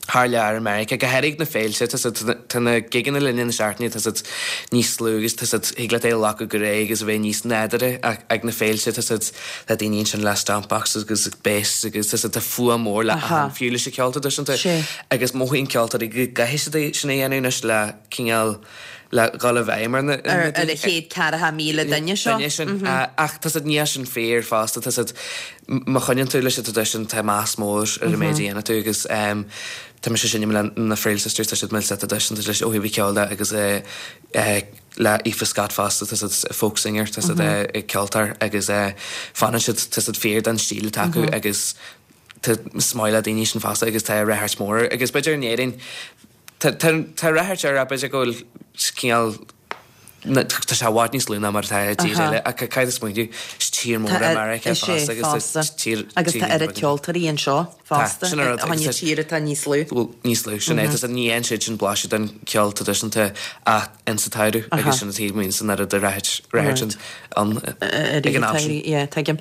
D: thar lear i Meiriceá, go háirithe na féilte, tá siad, tá na gigeanna le linn na seachtaine, tá siad níos lú agus tá siad, thig leat é a ghlacadh go réidh agus a bheith níos nádúrtha ach ag na féilte tá siad, tá daoine ansin le stomp boxes agus bass agus tá siad, tá fuath mór le achan, fiú leis an cheol traidisiúnta agus mothaíonn ceoltóirí go gcaithfidh siad é sin a dhéanamh anois le cineál, le dhul i bhfeidhm ar na,
A: ar an 104,000 duine seo.
D: duine sin. Ach tá siad, níl sin fíor fosta, tá siad, má choinníonn tú leis an traidisiún tá meas mór ar an méid a dhéanann tú agus tá mise ag seinm le na Friel Sisters, tá siad millteach traidisiúnta leis ó thaobh an cheoil de agus le Aoife Scott fosta, tá siad folk singer, tá siad ceoltóir agus fanann siad, tá siad fíor don stíl atá acu agus tá is maith le daoine sin fosta agus tá ráchairt mór agus b'fhéidir in Éirinn Tá ráchairt air, b'fhéidir go bhfuil cineál. Tá sé i bhfad níos lú ná mar atá i dtír eile ach caithfidh tú smaointiú, is tír mór é Meiriceá fosta agus
A: tá tír Agus tá oiread ceoltóirí anseo fosta,
D: sin an rud,
A: agus tá tír atá níos lú.
D: Níos lú, sin é. Tá ní fhaigheann siad sin blaiseadh den cheol traidisiúnta ach insa tsamhradh agus sin an taobh amuigh san oiread de reathair ann ag an am sin.
A: Yeah, tuigim.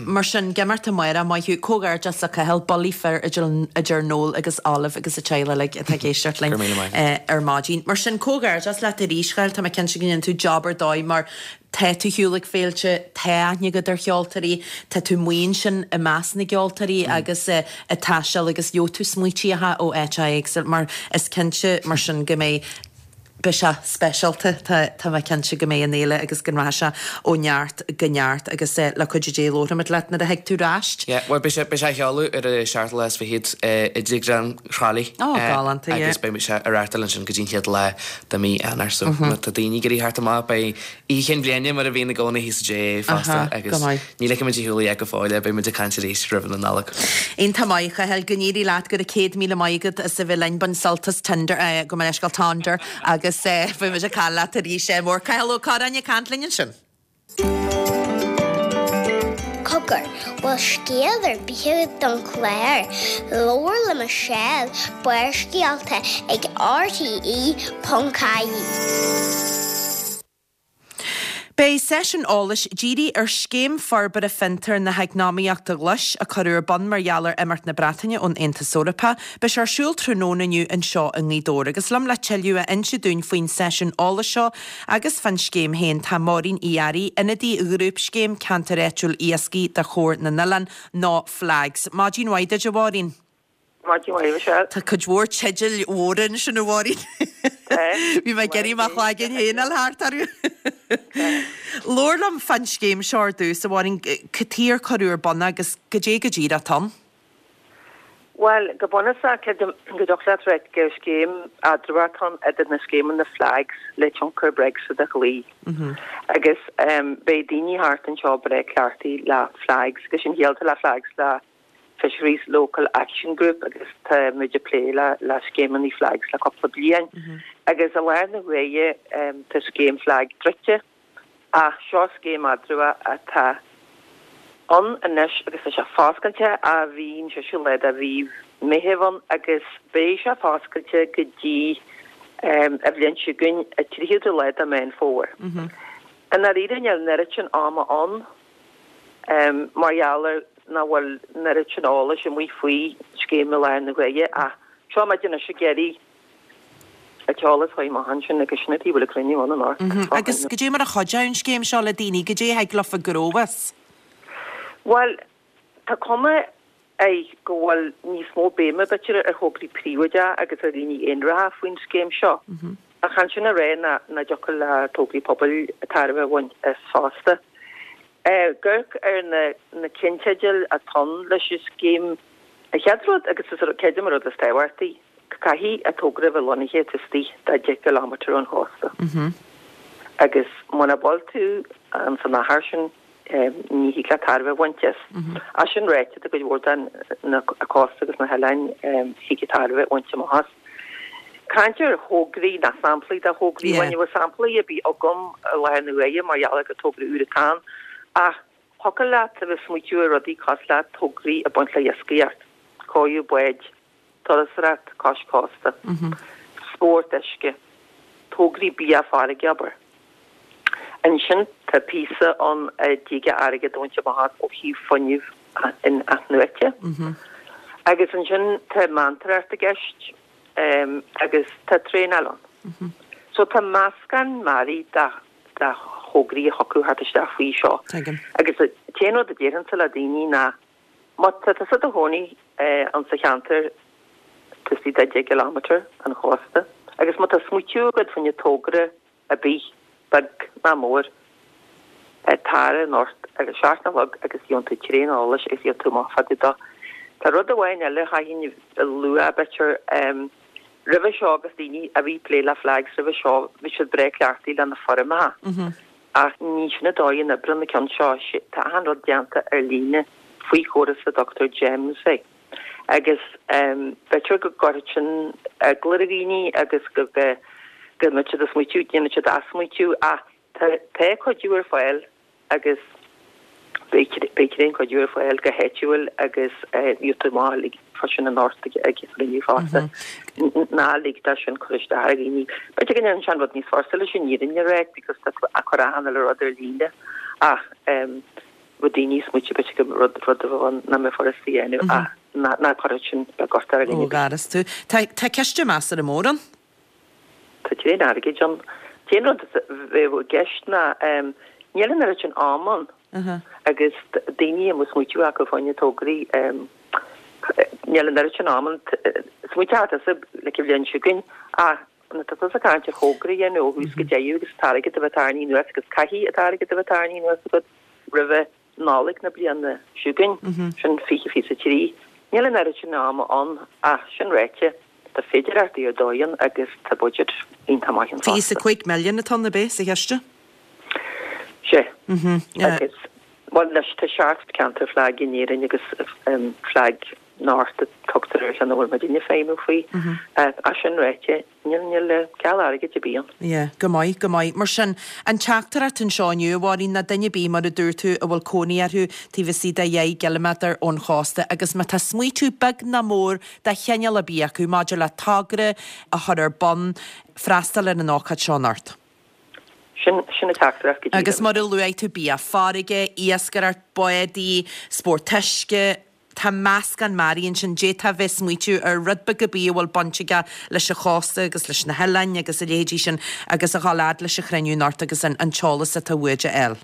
A: Mar sin, ag imeacht amárach, maith thú. Comhghairdeas le Cathal, Bullaí Fir idir Noel agus Olive agus an teaghlach uilig atá ag éisteacht linn ar maidin. Mar sin, comhghairdeas leat arís, Chathail, tá mé cinnte go ndéanann tú job ar dóigh mar tá tú ar shiúl ag féilte, tá aithne agat ar cheoltóirí, tá tú amuigh ansin i measc na gceoltóirí agus ag taisteal agus gheobhaidh tú smaoitíocha ó áiteacha éagsúla mar is cinnte mar sin go mbeidh Beidh sé speisialta, tá mé cinnte go mbeidh an fhéile agus go rachaidh sé ó neart go neart agus le cuidiú Dé labharfaimid leat nuair a thig tú ar ais.
D: Yeah, bhuel beidh sé, beidh sé á sheoladh ar an seachtú lá is fichead i dTigh Ghleann Thrá Lí.
A: Ó, galánta,
D: yeah. Agus beidh sé á reáchtáil ansin go dtí an chéad lá de mhí Eanáir so má tá daoine ag iarraidh theacht amach beidh Oíche Chinn Bhliana mar a bhíonn i gcónaí thíos sa JA fosta agus ní ligfidh muid ar shiúl é go fóill é, beidh muid ag caint arís roimh na Nollag.
A: Iontach maith, a Chathail, go n-éirí leat, go raibh 100,000 maith agat as a bheith linn, bain sult as Tinder, gabh mo leithscéal, Tonder, agus beidh muid ag caint leat arís amárach. Cathal Ó Curráin ag caint linn ansin.
C: Cogar, bhfuil scéal ar bith agat don chlár? Labhair le Michelle, Barrscéalta ag RTE.ie.
A: Beidh seisiún eolais dírithe ar Scéim Forbartha Fiontar na hEacnamaíochta Glais, a cuireadh ar bun mar gheall ar imeacht na Breataine ón Aontas Eorpach. Beidh sé ar siúl tráthnóna inniu anseo i nGaoth Dobhair. Agus liom le tuilleadh a inse dúinn faoin seisiún eolais seo agus fán scéim féin tá Máirín Uí Fhearraigh, ionadaí Ghrúpscéim Ceantair Áitiúil Iascaigh de Chomhar na nOileán, nó FLAGS. Maidin mhaith duit, a Mháirín.
E: Maidin mhaith, Michelle.
A: Tá cuid mhór teidil mhóra ansin, a Mháirín. Bhí mé ag iarraidh mo chloigeann féin a fháil thart orthu. Labhair liom fán scéim seo ar dtús, a Mháirín. Cad chuige ar cuireadh ar bun é agus goidé go díreach atá ann?
E: Bhuel, go bunúsach, creidim go dtiocfadh leat ráit gur scéim eatramhach atá ann idir na scéimeanna FLAGS le tionchar Brexit a chloí. Agus beidh daoine thart anseo breá cleachtaithe le FLAGS, agus sin chiall atá le FLAGS le Fisheries Local Action Group agus tá muid ag plé le le scéimeanna FLAGS le cúpla bliain. Agus i láthair na huaire tá scéim FLAG druidte ach seo scéim eatramhach atá ann anois agus tá sé foscailte ó bhí an seisiú lá de mhí Meitheamh ann agus beidh sé foscailte go dtí an bhliain seo chugainn an 30ú lá de Meán Fómhair. I ndáiríre níl an oiread sin ama ann mar gheall ar nach bhfuil an oiread sin eolais amuigh faoi scéim i láthair na huaire ach seo muid anois ag iarraidh an t-eolas a chur amach ansin agus sin an tuige a bhfuil an cruinniú ann anocht.
A: Agus goidé mar a chuideoidh an scéim seo le daoine, goidé a thig leofa gnóthú as?
E: Bhuel, tá cuma air go bhfuil níos mó béime b'fhéidir ar thograí príobháideacha agus ar dhaoine aonaracha faoin scéim seo. Ach chan sin a rá nach dtiocfadh le tograí pobail tairbhe a bhaint as fosta. Ag amharc ar na ceannteidil atá ann leis an scéim, an chéad rud, agus is creidim an rud is tábhachtaí, caithfidh an togra a bheith lonnaithe taobh istigh de 10 gcileámeter ón chósta. Agus muna bhfuil tú ins an achar sin, ní thig leat tairbhe a bhaint as. Ach sin ráite, tá cuid mhór den cósta agus na hoileáin thig tairbhe a bhaint amach as. Caint ar thograí ná samplaí de thograí, bhuel ní bhfuil samplaí ar bith agam i láthair na huaire mar gheall ar gur togra úr atá ann, ach thiocfadh leat a bheith ag smaoitiú ar rudaí cosúil le tograí ag baint le iascaireacht, cóiriú báid, turasóireacht cois cósta, spórt uisce, tograí bia farraige, abair. Ansin tá píosa ann a dtig airgead a bhaint amach as ó thaobh fuinneamh in-athnuaite. Agus ansin tá meantóireacht i gceist agus tá traenáil ann. So tá meascán mearaí de thograí a thiocfadh thart isteach faoi seo. Agus an t-aon rud a déarfainnse le daoine ná Má tá tusa i do chónaí insa cheantar taobh istigh de 10 gcileámeter an chósta agus má tá smaoitiú agat fá choinne togra ar bith, beag ná mór, tar anocht ag a 7 a chlog agus gheobhann tú tréan eolais agus gheobhaidh tú amach fá dtaobh dó. Tá rud amháin eile a chaithfinn a lua, b'fhéidir, roimhe seo agus daoine a bhí ag plé le FLAGS roimhe seo, bhí siad breá cleachtaithe le na foirmeacha. Ach ní sin an dóigh a n-oibríonn an ceann seo, tá achan rud déanta ar líne faoi chóras a dtugtar GEMS air. Agus b'fhéidir go gcuirfeadh sin eagla ar dhaoine agus go. Go mbeadh siad ag smaoitiú, déanfaidh siad athsmaoitiú ach tá tá cuidiú ar fáil agus beidh beidh tréan cuidiú ar fáil go háitiúil agus gheobhaidh tú amach uilig fá sin anocht ag ag an chruinniú fosta. Ná lig dó sin cur isteach ar dhaoine. B'fhéidir go ndéanann sé an rud níos fusa leis an fhírinne a rá because tá tú ag cur achan uile rud ar líne ach bheadh daoine ag smaoitiú b'fhéidir go rud rud a bheadh ann nach mbeadh furasta a dhéanamh ach ná ná cuirfidh sin beag ort ar
A: Ó gharas tú. Tá tá ciste measartha mór ann.
E: Tá tréan airgid ann. An t-aon rud a bheadh i gceist ná níl an oiread sin ama ann agus daoine a mbeadh smaoitiú acu fá choinne tograí níl an oiread sin ama ann. Smaoiteoidh tusa like an bhliain seo chugainn ach nuair atá tusa ag caint ar thogra a dhéanamh ó thús go deireadh agus an t-airgead a bheith tarraingthe anuas agus caithfidh an t-airgead a bheith tarraingthe anuas agat roimhe Nollaig na bliana seo chugainn, sin 2023. Níl an oiread sin ama ann ach sin ráite, tá féidearthachtaí ar dóigh ann agus tá budget iontach maith ann fosta.
A: 25 milliún atá ann, ab é, sa chiste?
E: Sea. Agus, bhuel, anois tá 7 ceantar FLAG in Éirinn agus FLAG North a tugtar ar cheann a bhfuil muidinne ag feidhmiú faoi. Ach sin ráite, Níl, níl ceal airgid ar bith ann.
A: Yeah, go maith, go maith. Mar sin, an teachtaireacht anseo inniu, a Mháirín, ná duine ar bith, mar a dúirt tú, a bhfuil cónaí orthu taobh istigh de dheich gciliméadar ón chósta agus má tá smaoitiú beag ná mór de chineál ar bith acu maidir le togra a chur ar bun, freastal ar an ócáid seo anocht.
E: Sin, sin an teachtaireacht go díreach.
A: Agus mar a luaigh tú, bia farraige, iascaireacht, bádaí, spórt uisce, Tá meascán mearaí ansin. D'fhéadfá a bheith ag smaoitiú ar rud beag ar bith a bhfuil baint aige leis an chósta agus leis na hoileáin agus a leithéidí sin agus a dhul fhad leis an chruinniú anocht agus an t-eolas atá uait a fháil.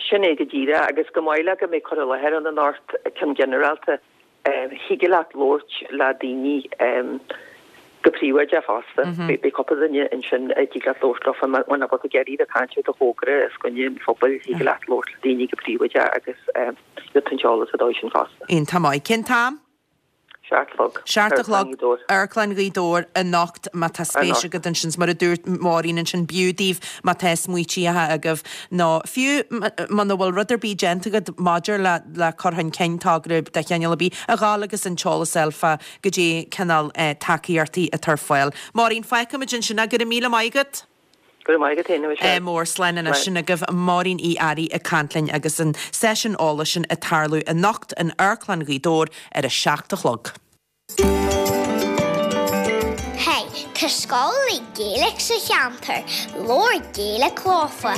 E: Sin é go díreach agus chomh maith le go mbeidh cur i láthair ann anocht, ceann ginearálta, thig leat labhairt le daoine go príobháideach fosta. Beidh cúpla duine ansin a dtig leat labhairt leofa muna bhfuil tú ag iarraidh a bheith ag caint ar do thogra os coinne an phobail, thig leat labhairt le daoine go príobháideach agus Gheobhaidh tú an t-eolas sa dóigh sin fosta.
A: Iontach maith. Cén t-am?
E: 7 a chlog.
A: 7 a chlog, Amharclann Ghaoth Dobhair anocht má tá spéis agat ansin. Mar a dúirt Máirín ansin, b'fhiú daoibh má tá smaoitíocha agaibh nó fiú muna bhfuil rud ar bith déanta agat maidir le le cur chun cinn togra de chineál ar bith, a ghabháil agus an t-eolas a fháil fá goidé cineál tacaíochtaí atá ar fáil. Máirín, fágfaimid ansin é. Go raibh míle maith agat.
E: Go raibh maith agat féin, a
A: Mhichelle. Mór slán anois. Sin agaibh Máirín Uí Fhearraigh ag caint linn agus an seisiún eolais sin ag tarlú anocht in Amharclann Ghaoth Dobhair ar a 7 a chlog.
C: Hey, tá scoil Gaeilge sa cheantar, labhair Gaeilge leofa.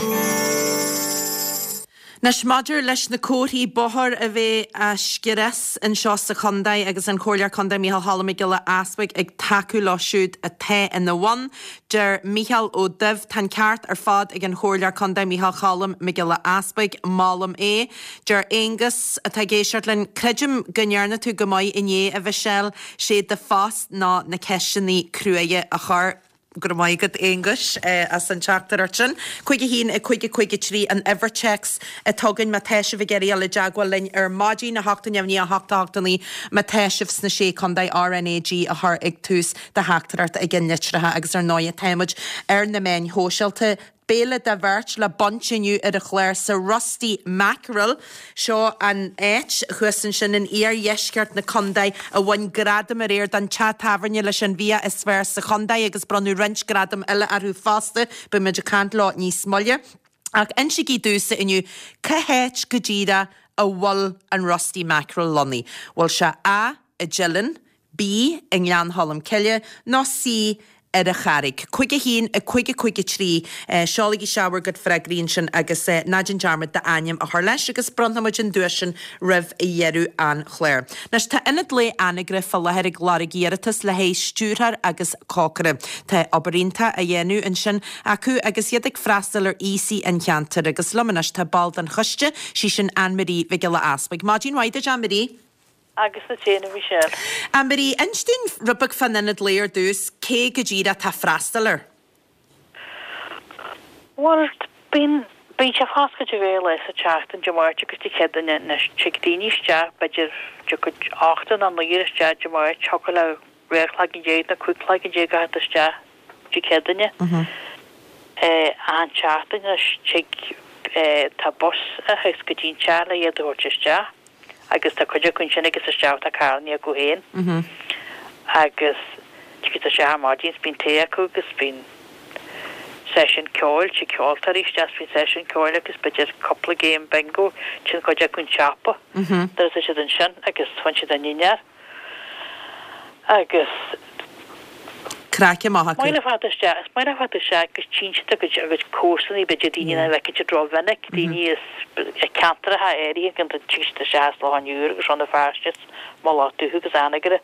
A: Anois, maidir leis na comharthaí bóthair a bheith á scrios anseo sa chontae agus an Comhairleoir Contae Micheál Cholm Mac Giolla Easbuig ag tacú leo siúd atá ina bhun, deir Mícheál Ó Duibh, Tá an ceart ar fad ag an Chomhairleoir Contae Micheál Cholm Mac Giolla Easbuig, molaim é. Deir Aonghus, atá ag éisteacht linn, Creidim go ndearna tú go maith inné, a Mhichelle, sé do phost ná na ceisteanna cruaidhe a chur. Go raibh maith agat, Aonghuis, as an teachtaireacht sin. 5 1 5 5 3 an uimhir téacs atá againn má tá sibh ag iarraidh dul i dteagmháil linn ar maidin, 8 0 9 8 8 9 má tá sibh sna Sé Chontae, RnaG a chur ag tús do theachtaireachta ag an litreacha agus ar ndóighe tá muid ar na meáin shóisialta. Béile do bheirt le baint inniu ar an chlár sa Rusty Mackerel. Seo an áit, thuas ansin in iardheisceart na contae, a bhain gradam aréir don teach tábhairne leis an bhia is fearr sa chontae agus bronnadh roinnt gradam eile orthu fosta. Beidh muid ag caint leo níos moille. Ach insigí domhsa inniu, cá háit go díreach a bhfuil an Rusty Mackerel lonnaithe? Bhfuil sé A, i dTeileann, B, i nGleann Cholm Cille, nó C, ar an Charraig. 5 1 5 5 3 Seolaigí isteach bhur gcuid freagraí ansin agus ná déan dearmad d'ainm a chur leis agus bronnfaidh muid an duais sin roimh dheireadh an chláir. Anois tá Ionad Lae Anagaire fá láthair ag lorg iarratas le haghaidh stiúrthóir agus cócaire. Tá obair iontach á dhéanamh ansin acu agus iad ag freastal ar aosaigh an cheantair agus liom anois tá ball den choiste, sí sin Ann Marie Mhic Giolla Easbuig. Maidin mhaith duit Ann Marie.
F: Agus duit féin, a Mhichelle.
A: Ann Marie, inis dúinn rud beag fán Ionad Lae ar dtús, cé go díreach atá ag freastal air?
F: Bhuel, bíonn, bíonn sé foscailte dhá lá sa tseachtain, Dé Máirt agus Dé Céadaoine. Anois, tig daoine isteach, b'fhéidir, tiocfaidh ochtar nó naonúr isteach Dé Máirt, thiocfadh le dhá chloigeann déag nó cúig chloigeann déag a theacht isteach Dé Céadaoine. Achan tseachtain anois, tig, tá bus a thiocfas go dtí'n teach le iad a thabhairt isteach. agus tá cuid acu ansin agus isteach tá carrannaí acu féin agus tiocfaidh isteach ar maidin is bíonn tae acu agus bíonn. seisiún ceoil, tig ceoltóirí isteach is bíonn seisiún ceoil agus b'fhéidir cúpla game bingo, téann cuid acu chun siopa nuair atá siad ansin agus faigheann siad a ndinnéar agus.
A: Craic amach acu.
F: Is maith leo fanacht isteach, is maith leo fanacht isteach agus tchíonn siad a gcuid, a gcuid comharsanaí, b'fhéidir daoine nach bhfeiceann siad rómhinic, daoine as ceantracha áirithe, go dtig siad isteach as Loch an Iúir agus Rann na Feirste is Mullach Dubh agus Anagaire.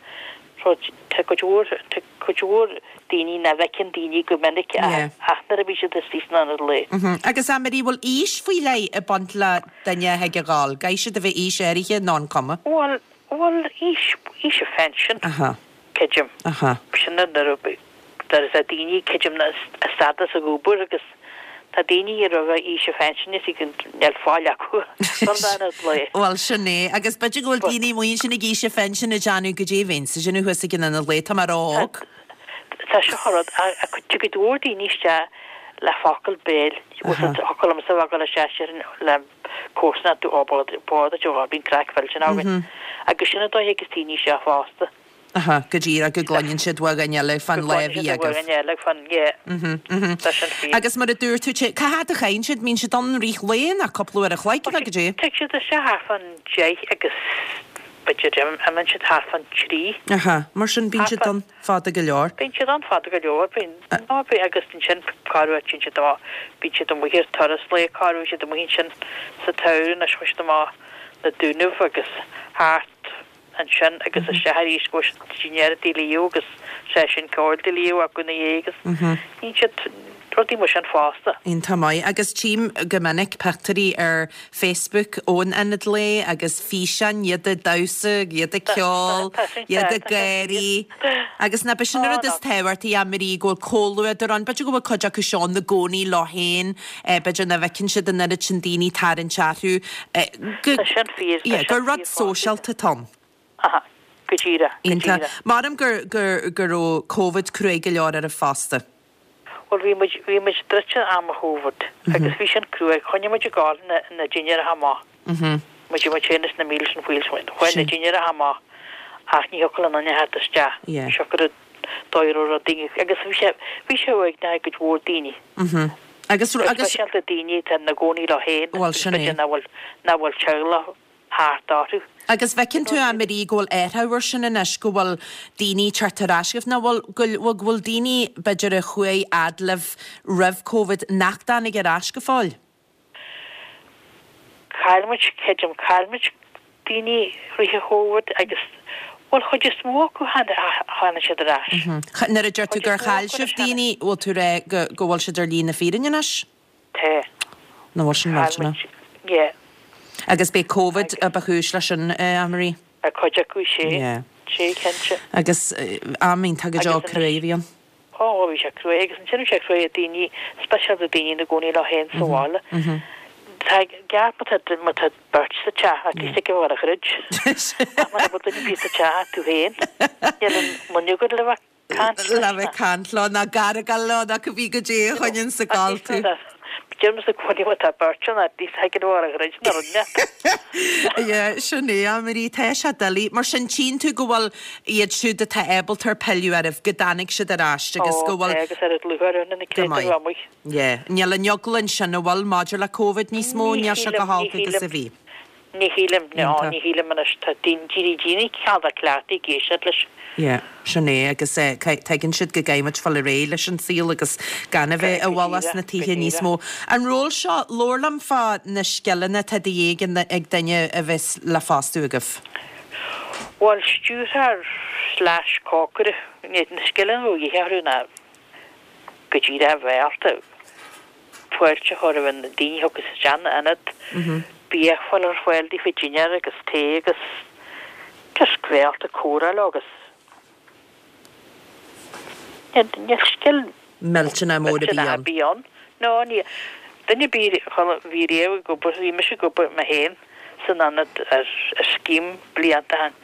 F: So tá cuid mhór, tá cuid mhór daoine nach bhfeiceann daoine go minic ach nuair a bhí siad istigh san ionad lae.
A: Agus a Marie, bhfuil aois faoi leith ag baint le duine a thig a dhul? Caithfidh siad a bheith aois áirithe nó an cuma?
F: Bhuel, bhuel, aois, aois an phensin. Creidim. Sin nuair a tá daoine, creidim, ag stadadh as obair agus tá daoine roimh aois an phensin is níl fáil acu dul in ionad lae.
A: Bhuel, sin é. Agus b'fhéidir go bhfuil daoine amuigh ansin ag aois an phensin ag déanamh goidé a bheinnse ag déanamh thuas ag an ionad lae, tá mé ró-óg.
F: Tá seo an rud, tig cuid mhór daoine isteach le focal béil, thiocfadh liomsa a bheith ag dul isteach le comharsana ó bord duit ó bíonn craic mhillteanach againn. Agus sin an dóigh a thigeas daoine isteach fosta.
A: Aha, go díreach, go gcluineann siad uaidh dhuine eile fán lá a bhí agaibh.
F: Go gcluineann siad uaidh dhuine eile fán, yeah. Tá sin fíor.
A: Agus mar a dúirt tú, cá fhad a chaitheann siad? Mbíonn siad ann rith lae nó cúpla uair a chloig nó goidé?
F: Tig siad isteach thart fán deich agus b'fhéidir imíonn siad thart fán trí.
A: Aha, mar sin bíonn siad ann fada go leor.
F: Bíonn siad ann fada go leor, bíonn, ná bíonn, agus ansin corruair téann siad amach, bíonn siad amuigh ar turas lae, corruair bhí siad amuigh ansin sa tsamhradh anois chuaigh siad amach na Dúnaibh agus thart ansin agus isteach arís go dinnéar i dTigh Leo agus seisiún ceoil i dTigh Leo acu ina dhiaidh agus níonn siad rudaí mar sin fosta.
A: Iontach maith. Agus tchím go minic pictiúirí ar Facebook ón Ionad Lae agus físeáin, iad ag damhsa, iad ag ceol, iad ag gáirí. Agus nach b'shin an rud is tábhachtaí, a Marie, go bhfuil comhluadar ann. B'fhéidir go bhfuil cuid acu seo ina gcónaí leo féin, b'fhéidir nach bhfeiceann siad an oiread sin daoine tarraingt orthu.
F: Go, Tá sin fíor, tá
A: yeah,
F: sin
A: gur rud
F: fíor fosta.
A: sóisialta atá ann.
F: Aha, go díreach, go
A: Iontach.
F: díreach.
A: Measaim gur, gur, go raibh Covid cruaidh go leor oraibh fosta.
F: Bhuel, bhí muid, bhí muid druidte am an Chóvid agus bhí sin cruaidh. Choinnigh muid ag gabháil na, na dinnéaracha amach. Muid, muid féin is na Meals on Wheels, chuaigh na dinnéaracha amach ach ní thiocfadh le aon duine theacht isteach. Siocair an dóigh a raibh rudaí agus bhí sé, bhí sé uaigneach ag cuid mhór daoine.
A: Agus,
F: Go
A: agus.
F: speisialta daoine atá ina gcónaí leo féin
A: Bhuel,
F: agus
A: sin é.
F: b'fhéidir nach bhfuil, nach bhfuil teaghlach thart orthu.
A: Agus bhfeiceann tú, a Marie, go bhfuil athrú ar sin anois, go bhfuil daoine ag teacht ar ais chugaibh, nó bhfuil, go bhfuil, go bhfuil daoine, b'fhéidir, a chuaigh fhad libh roimh Covid nach dtáinig ar ais go fóill?
F: Chaill muid, creidim, chaill muid daoine rith an Chóvid agus, bhuel, chuid is mó acu tháinig siad ar ais.
A: Nuair a deir tú gur chaill sibh daoine, bhfuil tú ag rá go, go bhfuil siad ar shlí na fírinne anois?
F: Tá.
A: Nó bhfuil sin
F: Chaill
A: millteanach?
F: muid, yeah.
A: Agus b'é Covid a ba chúis leis sin, a Marie?
F: Cuid acu, sea.
A: Yeah.
F: Sea, cinnte.
A: Agus am iontach go deo cruaidh a bhí ann.
F: Ó, bhí sé cruaidh agus ansin bhí sé cruaidh ar daoine, speisialta daoine ina gcónaí leo féin sa bhaile. Tá ceart má tá má tá beirt sa teach, at least ag a bhfuil a throid. Ach mura bhfuil duine ar bith sa teach ach tú féin, níl aon duine agat le bheith caint leis.
A: Le bheith caint leo, ná gargáil leo, ná cibé goidé a choinníonn sa gcall tú.
F: Deirimse i gcónaí má tá beirt ann, at least thig leo a throid ná rud leat.
A: Yeah, sin é, a Marie, tá sé doiligh. Mar sin, tchíonn tú go bhfuil iad siúd atá ábalta ar pilleadh oraibh, go dtáinig siad ar ais agus go
F: Ó,
A: bhfuil.
F: tá, agus ar an dlúthfhear ann ina
A: Go
F: creat
A: maith.
F: amuigh.
A: Yeah. Níl an eagla ansin, an bhfuil, maidir le Covid níos mó,
F: Ní
A: níl sé
F: shílim,
A: chomh
F: ní
A: holc agus
F: shílim.
A: a bhí.
F: Ní shílim, ná
A: Iontach.
F: ní shílim anois. Tá daoine, daoine cineál de cleachtaithe ag éisteacht leis.
A: Yeah, sin é agus tuigeann siad go gcaithfidh muid fáil ar aghaidh leis an saol agus gan a bheith i
F: Go
A: bhfolach
F: díreach,
A: sna
F: go
A: tithe níos
F: díreach.
A: mó. An ról seo, labhair liom fá na scileanna atá de dhíth ag duine a bheas le fostú agaibh.
F: Bhuel, stiúrthóir slash cócaire, na scileanna a bheadh de dhíth orthu ná go díreach a bheith ábalta fáilte a chur roimh na daoine a thiocfas isteach ina ionad, bia a chur ar fáil daofa, dinnéar agus tae agus just bheith ábalta comhrá leo agus níl scil
A: millteanach mór ar bith ann.
F: Ar bith ann. No, ní, duine ar bith a bhí riamh ag obair, bhí mise ag obair mé féin san ionad ar scéim blianta ó shin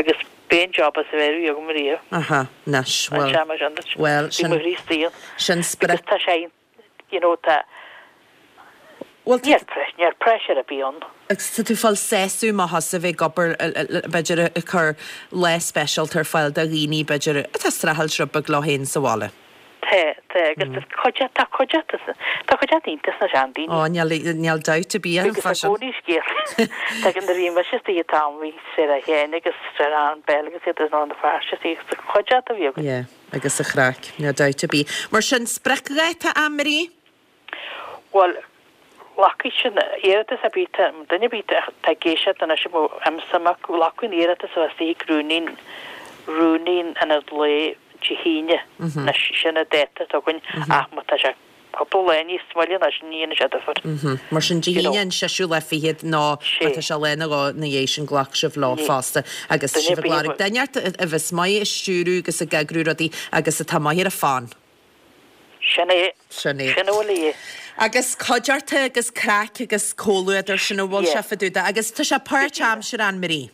F: agus b'é an job is fearr a bhí agam riamh.
A: Aha, anois, bhuel, bhuel,
F: Bhí mo chroí istigh ann.
A: sin sprioc.
F: Because tá sé you know tá,
A: Bhuel,
F: níl pressure, níl pressure ar bith ann.
A: Agus tá tú ag fáil sásamh amach as a bheith ag obair, b'fhéidir ag cur lá speisialta ar fáil do dhaoine, b'fhéidir, atá ag streachailt rud beag leo féin sa bhaile.
F: Tá, tá, agus tá cuid, tá cuid, tá cuid iontach sna seandaoine.
A: Ó, níl, níl dabht ar bith ann
F: Agus
A: fá
F: i
A: sin.
F: gcónaí scéalta. Tá nuair a bhí mise istigh an t-am bhí Sarah Sheáin agus Sarah Ann Bell agus iad as Rann na Feirste istigh agus cuid a bhí againn.
A: Yeah, agus an chraic, níl dabht ar bith. Mar sin, spriocdháta, Anne-Marie?
F: Bhuel, glacfaidh sin iarratas ar bith, tá duine ar bith atá ag éisteacht anois a mbeadh aon suim acu, glacadh an iarratas a bheith istigh ag rúnaí, rúnaí an Ionaid Lae Dé hAoine, anois sin an dáta atá againn ach má tá sé cúpla lá níos moille ná sin ní dhéanfaidh sé difear.
A: Mar sin Dé hAoine an seisiú lá fichead nó má tá sé lá nó dhó ina dhiaidh sin glacfaidh sibh leo fosta agus sibh ag lorg duine a bheas maith ag stiúrú agus ag eagrú rudaí agus atá maith ar an bhfón.
F: Sin é.
A: Sin é.
F: Sin a bhfuil a dhíth.
A: Agus cuideachta agus craic agus comhluadar, sin a bhfuil sé fá dtaobh de. Agus tá sé páirtaimseartha, Anne-Marie.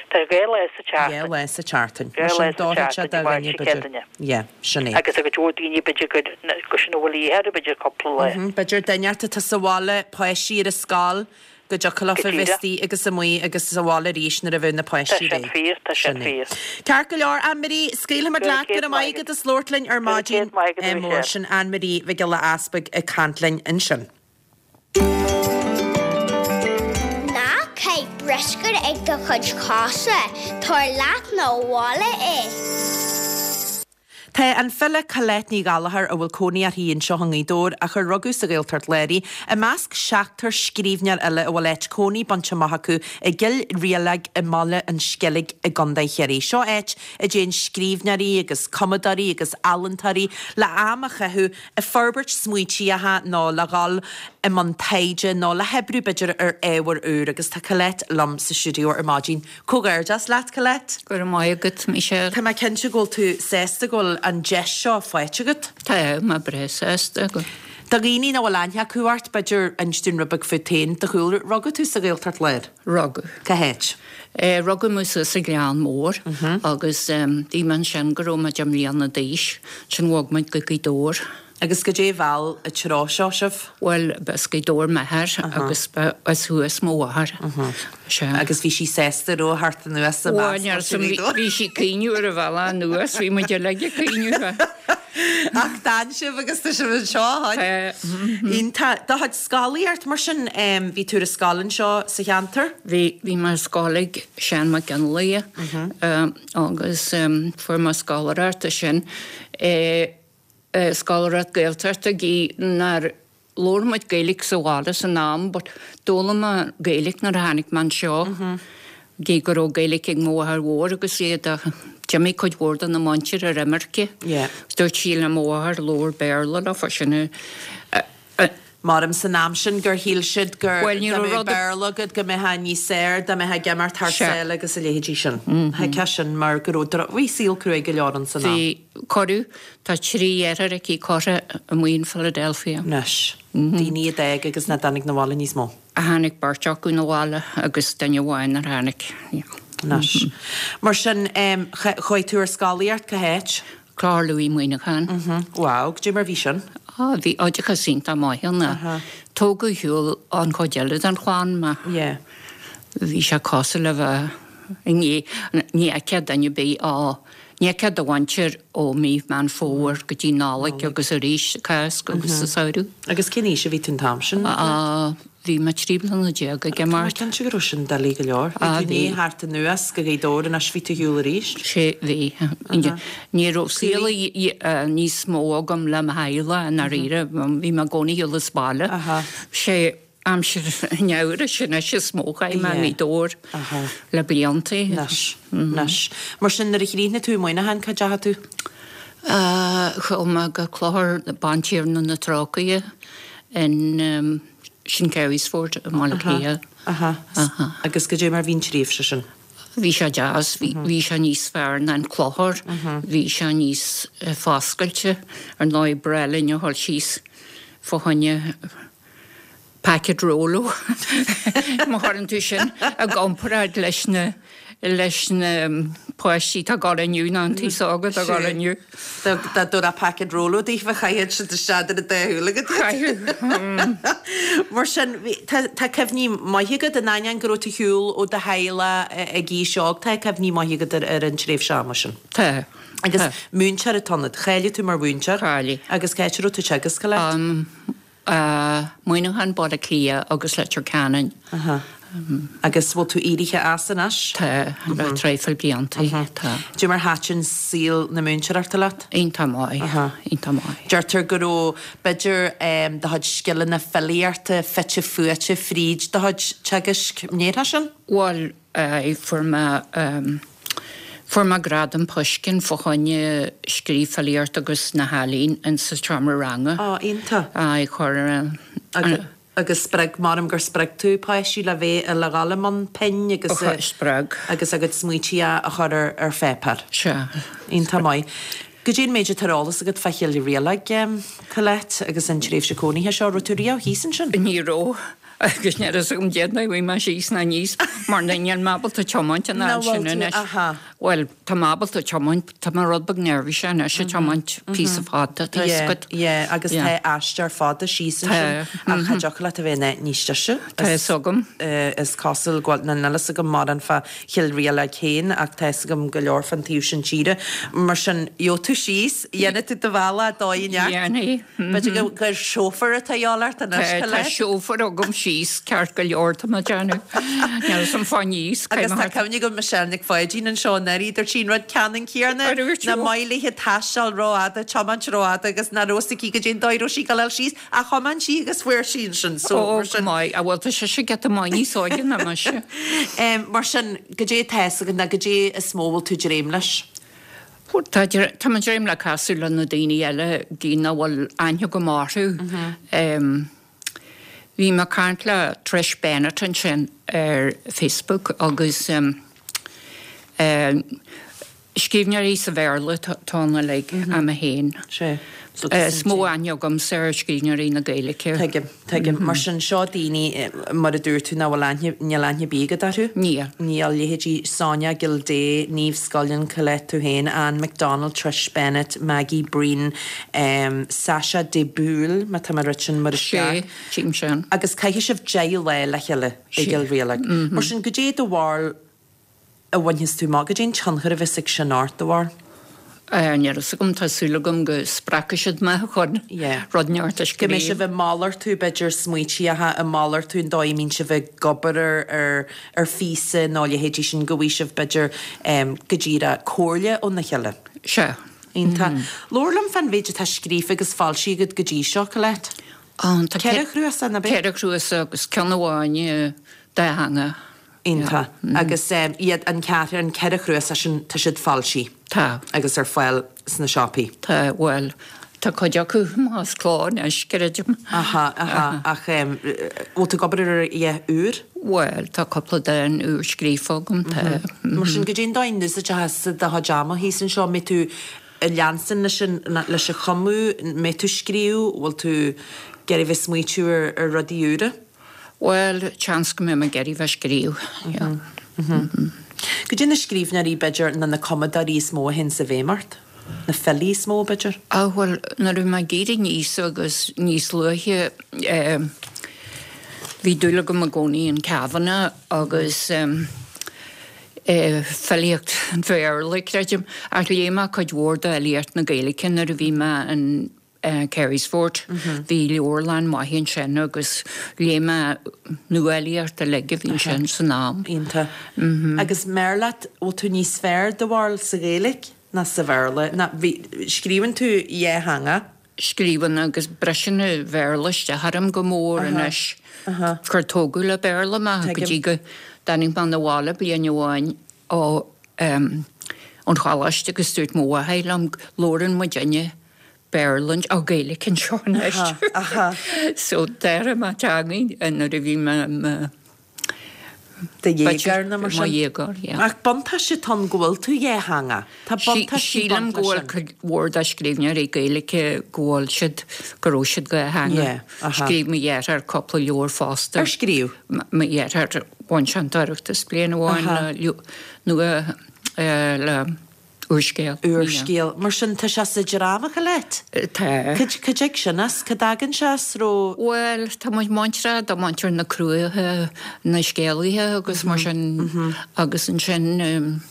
F: Tá sé dhá lá sa tseachtain.
A: Dhá lá sa tseachtain.
F: Dhá
A: Mar
F: lá
A: sin
F: sa
A: d'oirfeadh sé
F: tseachtain,
A: do
F: Dé Máirt
A: dhuine,
F: Dé
A: b'fhéidir.
F: Céadaoine.
A: Yeah, sin é.
F: Agus tá cuid mhór daoine b'fhéidir gur gur sin a bhfuil a dhíth orthu, b'fhéidir cúpla lá.
A: B'fhéidir duine atá sa bhaile, páistí ar an scoil, go dtiocfadh leofa
F: Go
A: bheith
F: díreach.
A: istigh agus amuigh agus sa bhaile arís nuair a bheadh na
F: Tá
A: páistí
F: sin
A: réidh.
F: fíor, tá sin
A: Sin é.
F: fíor.
A: Ceart go leor, Anne-Marie, scaoilfimid
F: Go raibh
A: leat, go
F: céad
A: raibh
F: maith
A: maith
F: agat.
A: agat as labhairt linn ar
F: Go raibh
A: maidin
F: céad maith agat, a
A: mór.
F: Mhichelle.
A: Sin Anne-Marie Mhic Giolla Easpaig ag caint linn ansin.
C: Ná caith bruscar ag do chuid cosa, tabhair leat 'na bhaile é.
A: Tá an file Colette Ní Ghallchóir, a bhfuil cónaí uirthi anseo i nGaoth Dobhair ach ar rugadh sa Ghaeltacht Láir í, i measc seachtar scríbhneoir eile a bhfuil áit cónaí bainte amach acu i gCill Rialaig i mBaile an Sceilg i gContae Chiarraí. Seo áit a dtéann scríbhneoirí agus cumadóirí agus ealaíontóirí le am a chaitheamh ag forbairt smaointíocha nó le dhul i mbun taighde nó le hoibriú b'fhéidir ar ábhar úr agus tá Colette liom sa stiúideo ar maidin. Comhghairdeas leat, Colette.
G: Go raibh maith agat, Michelle.
A: Tá mé cinnte go bhfuil tú sásta go bhfuil an deis seo faighte agat.
G: Tá mé breá sásta go.
A: Do dhaoine nach bhfuil aithne acu ort, b'fhéidir inis dúinn rud beag fút féin, do chúlra. Rugadh tú sa Ghaeltacht Láir?
G: Rugadh.
A: Cá háit?
G: Rugadh mé suas sa Ghleann Mór agus bhí mé ansin go raibh mé deich mbliana d'aois. Ansin bhog muid go Gaoth Dobhair.
A: Agus goidé a mheall an treo seo sibh?
G: Bhuel, ba as Gaoth Dobhair m'athair agus ba as thuas mo mháthair. Sea.
A: Agus bhí sí sásta an raibh a theacht anuas i
G: Bhuel,
A: measc
G: níor
A: muintir Ghaoth Dobhair?
G: bhí sí ag caoineadh ar an bhealach anuas, bhí muid uilig ag caoineadh.
A: Ach d'fhan sibh agus tá sibh anseo, a
G: Tá.
A: Iontach. Do chuid scolaíocht, mar sin, bhí tú ar an scoil anseo sa cheantar?
G: Bhí, bhí mé ar scoil ag Seán Mac Fhionnlaoich agus fuair mé scoláireacht ansin. scoláireacht Gaeltachta gidh nár labhair muid Gaeilge sa bhaile san am but d'fhoghlaim mé Gaeilge nuair a tháinig mé anseo gidh go raibh Gaeilge ag mo mháthair mhór agus iad ach d'imigh cuid mhór de na muintir ar imirce. Dúirt sí le mo mháthair labhair Béarla leofa sin a
A: Maram san am sin gur shíl siad gur
G: Bhuel, ní
A: dá
G: raibh
A: mbeadh
G: rud a.
A: Béarla agat go mbeifeá níos fearr dá mbeifeá ag imeacht thar
G: Sea.
A: sáile agus a leithéidí sin. Thuigfeá sin mar go raibh dro-, bhí saol cruaidh go leor ann san am.
G: Bhí, cuireadh, tá trí dheartháir aici curtha amuigh in Philadelphia.
A: Anois, daoine a d'fhág agus nach dtáinig 'na bhaile níos mó.
G: Tháinig beirt acu 'na bhaile agus duine amháin nár tháinig.
A: Anois. Mar sin, chuaigh tú ar scolaíocht cá háit?
G: Clochar Lúith Muineachán.
A: Wow, goidé mar bhí sin?
G: Á, bhí oideachas iontach maith ann. Tógadh ar shiúl ón chuid eile den chlann mé.
A: Yeah.
G: Bhí sé cosúil le bheith i ndiaidh, ní fheicfeá duine ar bith á, ní fheicfeá do mhuintir ó mí Meán Fómhair go dtí Nollaig agus arís sa Cásc agus sa samhradh.
A: Agus cén aois a bhí tú an t-am sin?
G: Á, Bhí mé 13 bliana ag
A: Tá mé
G: imeacht.
A: cinnte go raibh sin doiligh go leor. Bhí
G: Ah,
A: tú i
G: bhí.
A: ndiaidh theacht anuas go Gaoth Dobhair anois bhí tú ar shiúl arís.
G: Sé, bhí. Ní raibh saol níos mó agam le mo theaghlach i ndáiríre. Bhí mé i gcónaí ar shiúl as baile. Sé aimsir an gheimhridh sin anois is mó a chaith mé i
A: Yeah.
G: nGaoth Dobhair le blianta.
A: Anois, anois. Mar sin nuair a chríochnaigh tú i Muineachán cá dteachaigh tú?
G: Chuaigh mé go Clochar Bantiarna na Trócaire in St Carysfort i mBaile Átha Cliath.
A: Aha. Agus goidé mar bhí an tréimhse sin?
G: Bhí sé deas, bhí sé níos fearr ná an Clochar, bhí sé níos foscailte, ar ndóigh ba bhreá linn a dhul síos fá choinne packet Rolo, má chuireann tú sin i gcomparáid leis na. leis na páistí atá ag gabháil inniu ná an t-aos óg atá ag gabháil inniu.
A: Dá dtabharfá packet Rolo daofa chaithfeadh siad isteach idir an dá shúil agat iad. Mar sin, tá cuimhní maithe agat, in ainneoin go raibh tú ar shiúl ó do theaghlach ag aois óg, tá cuimhní maithe agat ar an tréimhse ama sin.
G: Tá.
A: Agus múinteoir atá ionat. Cháiligh tú mar mhúinteoir.
G: Cháiligh.
A: Agus cá háit a raibh tú ag teagasc, Colette?
G: Muineachán, Baile Átha Cliath agus Leitir Ceanainn.
A: Aha. Agus bhfuil tú éirithe as anois?
G: Tá, le traidhfil blianta, tá.
A: Cad é mar thaitin saol na múinteoireachta leat?
G: Iontach maith, iontach maith.
A: Deirtear go raibh, b'fhéidir, do chuid scileanna filíochta fite fuaite fríd do chuid teagaisc. An ndéarfá sin?
G: Bhuel, Aye, fuair mé, fuair mé gradam Pushkin fá choinne scríobh filíocht agus na healaín in sa seomra ranga.
A: Á, iontach.
G: Aye, chuir an.
A: Agus spreag, measaim gur spreag tú páistí le bheith, le dhul i mbun pinn agus.
G: Ó, spreag.
A: Agus a gcuid smaointí a chur ar pháipéar.
G: Sea.
A: Iontach maith. Goidé an méid atá ar eolas agat fá Chill Rialaig, Colette, agus an tréimhse cónaithe seo? Raibh tú riamh thíos ansin?
G: Ní raibh. Agus níl a fhios agam cén dóigh a bhfuil mé síos ná aníos mar níl mé ábalta tiomáint an fhad sin anois. Bhuel, tá mé ábalta tiomáint, tá mé rud beag neirbhíseach anois ag tiomáint píosa fada, tá fhios agat.
A: Yeah, agus tá aistear fada síos ansin ach cha dtiocfadh leat a bheith in áit níos deise.
G: Tá fhios agam.
A: Is cosúil go bhfuil, níl fhios agam mórán fá Chill Rialaig féin ach tá fhios agam go leor fán taobh sin tíre. Mar sin, gheobhaidh tú síos, dhéanfaidh tú do bhealach dóigh i
G: neart.
A: B'fhéidir gur chauffeur atá a dhíobháil ort anois,
G: Tá
A: Colette.
G: chauffeur agam síos ceart go leor tá mé ag déanamh. Níl fhios agam fá aníos.
A: Agus tá cuimhne agam Michelle Nic Pháidín anseo anuraidh, dúirt sí an rud ceannann céanna, nach maith léithe taisteal rófhada, tiomáint rófhada agus nach raibh fhios aici goidé an dóigh a raibh sí ag dul síos ach thiomáin sí agus fuair sí ansin. So,
G: Ó,
A: mar sin.
G: maith. Á bhuel tá sise giota maith níos óige ná mise.
A: Mar sin, goidé atá fhios agat ná goidé is mó a bhfuil tú ag dréim leis?
G: Tá tá mé ag dréim le casadh le na daoine eile, daoine nach bhfuil aithne agam orthu. Bhí mé ag caint le Trish Bennett ansin ar Facebook agus scríbhneoirí sa Bhéarla atá ann uilig, ach mé féin. Is mó aithne agamsa ar scríbhneoirí na Gaeilge.
A: Tuigim, tuigim. Mar sin, seo daoine, mar a dúirt tú, nach bhfuil aithne, níl aithne ar bith agat orthu?
G: Níl.
A: Níl. Leithéidí Sonia Gildea, Niamh Scullion, Colette, tú féin, Anne McDonald, Trish Bennett, Maggie Breen, Sasha de Búil, má tá mé ag rá sin mar is
G: ceart. Sé, tchím sin.
A: Agus caithfidh sibh 10 lá le chéile i gCill Rialaig. Mar sin, goidé do bharúil a bhainfeas tú amach? Goidé an tionchar a bheas ag sin ort, do bharúil?
G: Níl fhios agam, tá súil agam go spreagfaidh siad mé chun rud inteacht a
A: Go mbeidh
G: scríobh.
A: sibh ag malartú, b'fhéidir, smaoitíocha, ag malartú an dóigh a mbíonn sibh ag obair ar ar phíosa nó a leithéidí sin, go bhfaighidh sibh, b'fhéidir, go díreach comhairle óna chéile.
G: Sea.
A: Iontach. Labhair liom fán mhéid atá scríofa agus foilsithe agat go dtí seo, Colette.
G: Tá
A: Ceithre chnuasach, nach ea?
G: Ceithre chnuasach agus ceann amháin dátheangach.
A: Iontach. Agus iad, an ceathair, an ceithre chnuasach sin, tá siad foilsithe.
G: Tá.
A: Agus ar fáil sna siopaí.
G: Tá, bhuel, tá cuid acu as cló anois, creidim.
A: Aha, aha. Ach bhfuil tú ag obair ar a dhath úr?
G: Bhuel, tá cúpla dán úr scríofa agam, tá.
A: Mar sin, goidé an dóigh a n-úsáidfeá do chuid ama thíos anseo? An mbeidh tú ag leanstan leis an, leis an chumadh? An mbeidh tú ag scríobh? Bhfuil tú ag iarraidh bheith ag smaoitiú ar, ar rudaí úra?
G: Bhuel, seans go mbeidh mé ag iarraidh bheith ag scríobh, yeah.
A: Goidé na scríbhneoirí, b'fhéidir, nó na cumadóirí is mó a théanns i bhfeidhm ort? Na filí is mó, b'fhéidir?
G: Ah, bhuel, nuair a bhí mé ag éirí aníos agus níos luaithe, eh, bhí dúil agam i gcónaí in Kavanagh agus, eh, eh, filíocht an Bhéarla, creidim, ach léigh mé cuid mhór d'fhilíocht na Gaeilge nuair a bhí mé in Carysfort. Bhí leabharlann maith ansin agus léigh mé nuafhilíocht uilig a bhí ansin san am.
A: Iontach. Agus m'fhearr leat, bhfuil tú níos fearr do bharúil sa Ghaeilge ná sa Bhéarla? Ná, bhí, scríobhann tú dhá theanga?
G: Scríobhann agus briseann an Bhéarla isteach orm go mór anois. Gur tógadh le Béarla mé go dtí go dtáinig mé 'na bhaile bliain amháin ó ón choláiste agus dúirt mo mháthair liom, labhrann muidinne Béarla, ó Gaeilge anseo anois. So d'athraigh mé teangaidh nuair a bhí mé i mo.
A: Do dhéagóir nó mar sin.
G: Mo dhéagóir, yeah.
A: Ach buntáiste atá ann go bhfuil tú dhátheangach. Tá buntáistí
G: Sílim
A: baint
G: go
A: leis
G: bhfuil
A: sin.
G: cuid mhór de scríbhneoirí Gaeilge go bhfuil siad, go raibh siad dhátheangach.
A: Yeah, aha.
G: Scríobh mo dheartháir cúpla leabhar fosta.
A: Ar scríobh?
G: Mo dheartháir, bhain sé an tOireachtas bliain amháin
A: Aha.
G: le nua le úrscéal.
A: Úrscéal. Mar sin, tá sé sa dream, a Cholette?
G: Tá.
A: Cad, cá dtig sin as? Cá dtagann sé as? Raibh.
G: Bhuel, tá muid muinteartha do muintir na Cruaiche, na scéalaithe agus mar sin agus ansin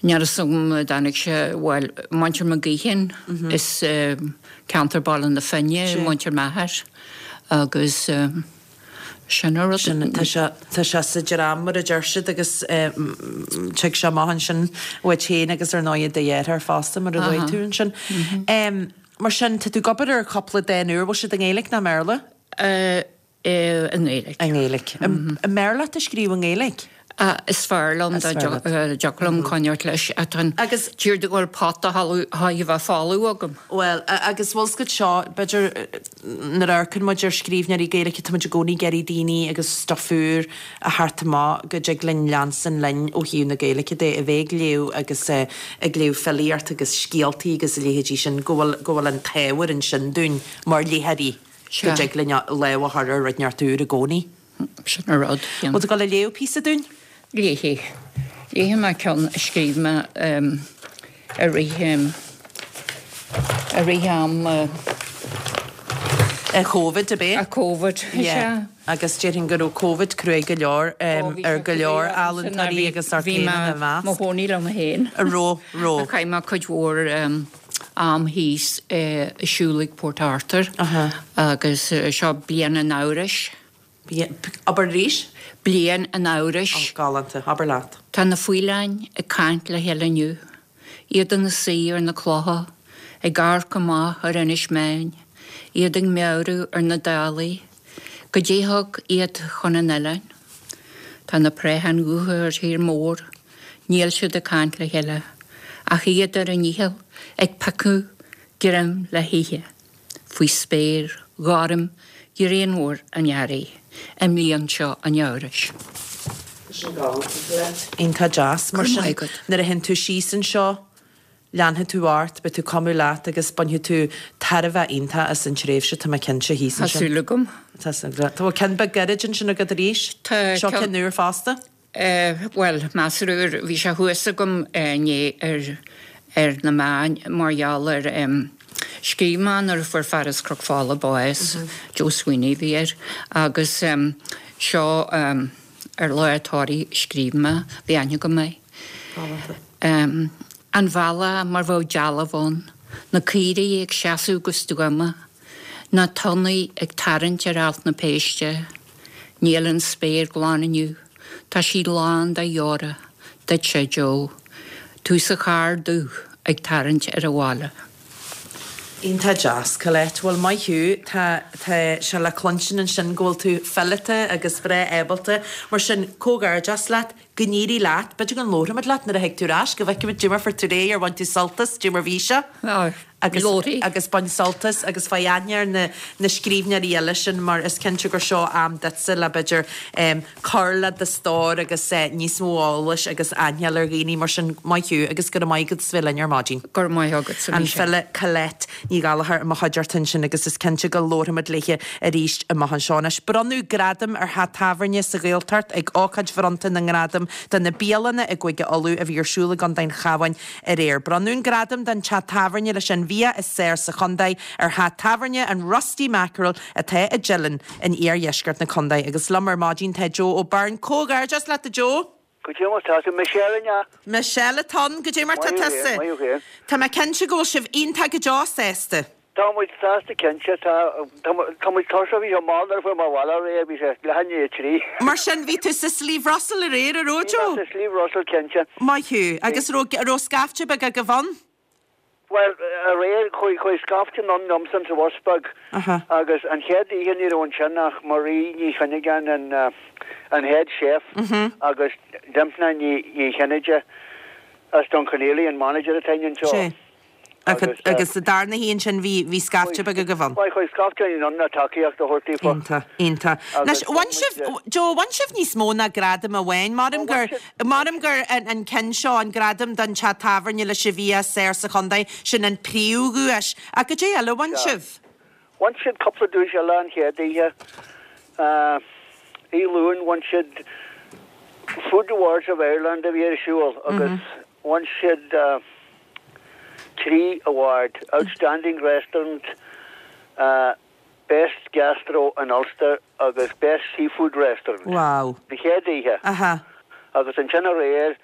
G: níl a fhios agam an dtáinig sé, bhuel, muintir McGeehan is ceantar Baile na Finne, muintir m'athar agus. Sin an rud.
A: Sin, tá sé, tá sé sa dream mar a deir siad agus tig sé amach ansin uait féin agus ar ndóigh do dheartháir fosta mar a luaigh tú ansin. Mar sin, tá tú ag obair ar chúpla dán úr, bhfuil siad i nGaeilge nó i mBéarla?
G: I nGaeilge.
A: I nGaeilge. An mb'fhearr leat a scríobh i nGaeilge?
G: Is fearr liom dá dtiocfadh liom coinneáilt leis.
A: Agus.
G: Tír do bhfuil pota a bheith folamh agam.
A: Bhuel, agus bhfuil 's agat seo, b'fhéidir nuair a amharcann muid ar scríbhneoirí Gaeilge, tá muid i gcónaí ag iarraidh daoine agus stuif úr a theacht amach go dtig linn leanstan linn ó thaobh na Gaeilge de, a bheith ag léamh agus ag léamh filíocht agus scéaltaí agus a leithéidí sin, go bhfuil, go bhfuil an t-ábhar ansin dúinn mar léitheoirí go dtig linn lámh a chur ar rud inteacht úr i gcónaí.
G: Sin an rud.
A: Bhfuil tú ag dul a léamh píosa dúinn?
G: Léifidh. Léifidh mé ceann a scríobh mé i rith, i rith am.
A: An Covid, ab é?
G: An Covid, is ea.
A: Agus déarfainn go raibh Covid cruaidh go leor ar go leor ealaíontóirí agus ort féin ina measc.
G: Bhí mé mo chónaí liom féin.
A: Raibh, raibh.
G: Chaith mé cuid mhór am thíos i siúl ag Port Arthur agus seo bliain an amhrais.
A: Abair arís?
G: Bliain an amhrais.
A: Ó, galánta. Abair leat.
G: Tá na faoileáin ag caint le chéile inniu, iad ina suí ar na clocha, ag amharc amach ar Inis Meáin, iad ag meabhrú ar na dálaí, goidé thug iad chun an oileáin. Tá na préacháin dhubha ar thír mór, níl siad ag caint le chéile, ach iad ar a ndícheall ag piocadh greim le hithe. faoi spéir ghorm ghrianmhar an earraigh i mbliain seo an amhrais.
A: Sin galánta. Iontach deas. Mar sin, nuair a théann tú síos anseo, leanfaidh tú ort, beidh tú ag cumadh leat agus bainfidh tú tairbhe iontach as an tréimhse, tá mé cinnte, thíos
G: ansin. Tá súil agam.
A: Tá súil agat. Tá ceann beag gairid ansin agat arís.
G: Tá.
A: Seo ceann úr fosta.
G: Bhuel, measartha úr, bhí sé thuas agam inné ar ar na meáin mar gheall ar scríobh mé nuair a fuair fear as Cnoc Fola bás, Joe Sweeney a bhí air, agus seo ar lá a tórraimh a scríobh mé, bhí aithne agam air. An bealach mar bheadh dealbh ann, na caoirigh ag seasamh go stuama, Na tonnaí ag tarraingt ar Alt na Péiste, Níl an spéir glan inniu, tá sí lán de dheora, duitse, Joe, tú sa charr dubh ag tarraingt ar an bhaile.
A: Iontach deas, Colette. Bhuel, maith thú. Tá, tá sé le cluinstin ansin go bhfuil tú fileata agus breá ábalta. Mar sin, comhghairdeas leat. Go n-éirí leat. B'fhéidir go labharfaimid leat nuair a thig tú ar ais, go bhfeicfimid goidé mar fuair tú ar aghaidh, ar bhain tú sult as, goidé mar bhí sé. Agus, agus bain sult as agus faigh aithne ar na, na scríbhneoirí eile sin mar is cinnte gur seo am duitse le b'fhéidir cur le do stór agus níos mó eolais agus aithne a fháil ar dhaoine mar sin. Maith thú agus go raibh maith agat as bheith linn ar maidin.
G: Go raibh maith agatsa,
A: An file Colette Ní Ghallchóir i mo chuideachta ansin agus is cinnte go labharfaimid léi arís amach anseo. Anois, bronnadh gradam ar theach tábhairne sa Ghaeltacht ag ócáid bhronnta na ngradam do na bialanna i gCúige Uladh a bhí ar siúl i gContae an Chabháin aréir. Bronnadh an gradam don teach tábhairne leis an bhia is fearr sa chontae ar theach tábhairne an Rusty Mackerel atá i dTeileann in iardheisceart na contae. Agus liom ar maidin tá Joe O'Byrne. Comhghairdeas leat a Joe!
H: Goidé mar tá tú, Michelle, an ea?
A: Michelle atá ann, goidé mar tá tusa?
H: Maith thú féin.
A: Tá mé cinnte go bhfuil sibh iontach go deo sásta.
H: Tá muid sásta cinnte, tá, tá muid tuirseach, bhí sé mall nuair a fuair mé abhaile aréir, bhí sé leath i ndiaidh a 3.
A: Mar sin, bhí tú sa Slieve Russell aréir, an raibh, Joe?
H: Bhí mé sa Slieve Russell cinnte.
A: Maith thú. Agus raibh, raibh scaifte beag agaibh ann?
H: Bhuel, aréir, chuaigh, chuaigh scaifte anonn liomsa sa bhus beag agus an chéad oíche ní raibh ansin ach Marie Ní Chuinneagáin, an, an head chef agus Dympna Ní, Ní Chinnéide as Dún Chonaill, an manager atá againn anseo.
A: Sea. Agus sa darna hoíche ansin bhí, bhí scaifte beag agaibh ann.
H: Bhuel, chuaigh scaifte anonn le tacaíocht a thabhairt daofa.
A: Iontach, iontach. Anois, bhain sibh, Joe, bhain sibh níos mó ná gradam amháin. Maram gur, maram gur an ceann seo, an gradam don teach tábhairne leis an bhia is fearr sa chontae, sin an príomhdhuais. Ach goidé eile a bhain sibh?
H: Bhain siad cúpla duais eile an chéad oíche. Oíche Luain bhain siad Food Awards of Ireland a bhí ar siúl agus bhain siad 3 award, Outstanding Restaurant, Best Gastro in Ulster agus Best Seafood Restaurant.
A: Wow.
H: An chéad oíche.
A: Aha.
H: Agus ansin aréir,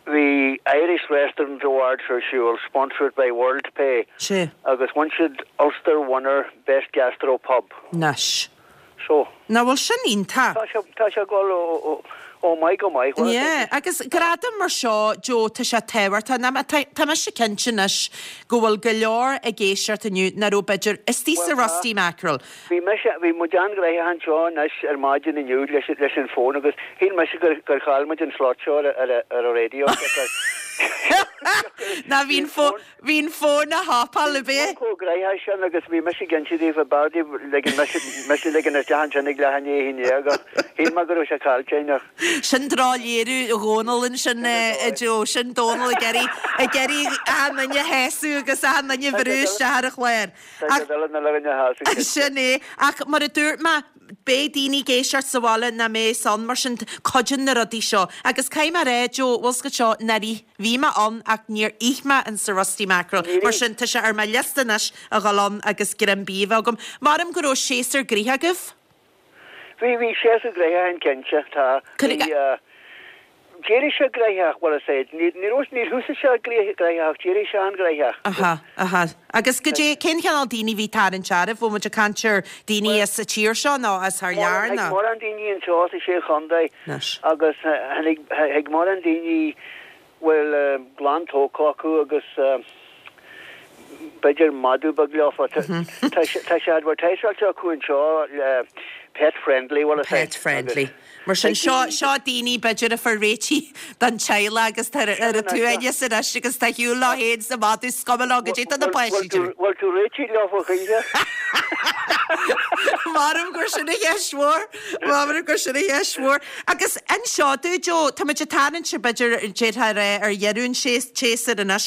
H: Bhí Irish Restaurant Awards ar siúl, sponsored by Worldpay,
A: Sea.
H: agus bhain siad Ulster Winner Best Gastro Pub.
A: Anois.
H: So.
A: Nach bhfuil sin iontach?
H: Tá sé, tá sé ag dul ó mhaith go maith.
A: Yeah, agus gradam mar seo, Joe, tá sé tábhachtach. Ná, tá, tá mise cinnte anois go bhfuil go leor ag éisteacht inniu nach raibh b'fhéidir istigh sa Rusty Mackerel.
H: Bhí mise, bhí muid an-ghnoitheach anseo anois ar maidin inniu leis, leis an bhfón agus shíl mise gur, gur chaill muid an slot seo ar, ar, ar an raidió siocair.
A: Ná bhí an fón, bhí an fón á thapáil, ab ea?
H: Chomh gnoitheach sin agus bhí mise ag inse daoibh b'fhearr daoibh ligean mise, mise ligean isteach ansin ag leath i ndiaidh a 11 ach shíl mé go raibh sé caillte againn ach.
A: Sin drochléiriú Dhónaill ansin, a Joe, sin Dónall ag iarraidh, ag iarraidh achan duine a shásamh agus achan duine a bhrú isteach ar an chlár. Sin é. Ach mar a dúirt mé, beidh daoine ag éisteacht sa bhaile nach mbeidh ann, mar sin cuidíonn na rudaí seo. Agus caithfidh mé a rá, Joe, bhfuil 's agat seo, nár ith, bhí mé ann ach níor ith mé in sa Rusty Mackerel. Mar sin tá sé ar mo liosta anois a dhul ann agus greim bídh a bheith agam. Maram go raibh séasúr gnoitheach agaibh?
H: Bhí, bhí séasúr gnoitheach ann cinnte, tá. Bhí, d'éirigh sé gnoitheach, bhuel is é, ní, ní raibh, níor thosaigh sé gnoitheach ach d'éirigh sé an-ghnoitheach.
A: Aha, aha. Agus goidé, cén chineál daoine a bhí ag tarraingt oraibh? Bhfuil muid ag caint ar daoine as an tír seo nó as thar lear
H: nó? Tháinig mórán daoine anseo sa Sé Chontae agus tháinig, tháinig mórán daoine bhfuil gclann tógtha acu agus b'fhéidir madadh beag leofa. Tá sé advertiseáilte acu anseo le pet friendly, bhfuil a fhios
A: Pet friendly. Mar sin, seo seo daoine b'fhéidir a fuair réitithe don teaghlach agus tá ar a tsuaimhneas anois agus tá ar shiúl leo féin is a madadh is cuma leo goidé tá na páistí ag déanamh.
H: Bhfuil tú réitithe leofa choíche?
A: Maram gur sin an cheist mhór. Maram gur sin an cheist mhór. Agus anseo dúinn, Joe, tá muid ag tarraingt, b'fhéidir, d'fhéadfá a rá, ar dheireadh an tséasúir anois.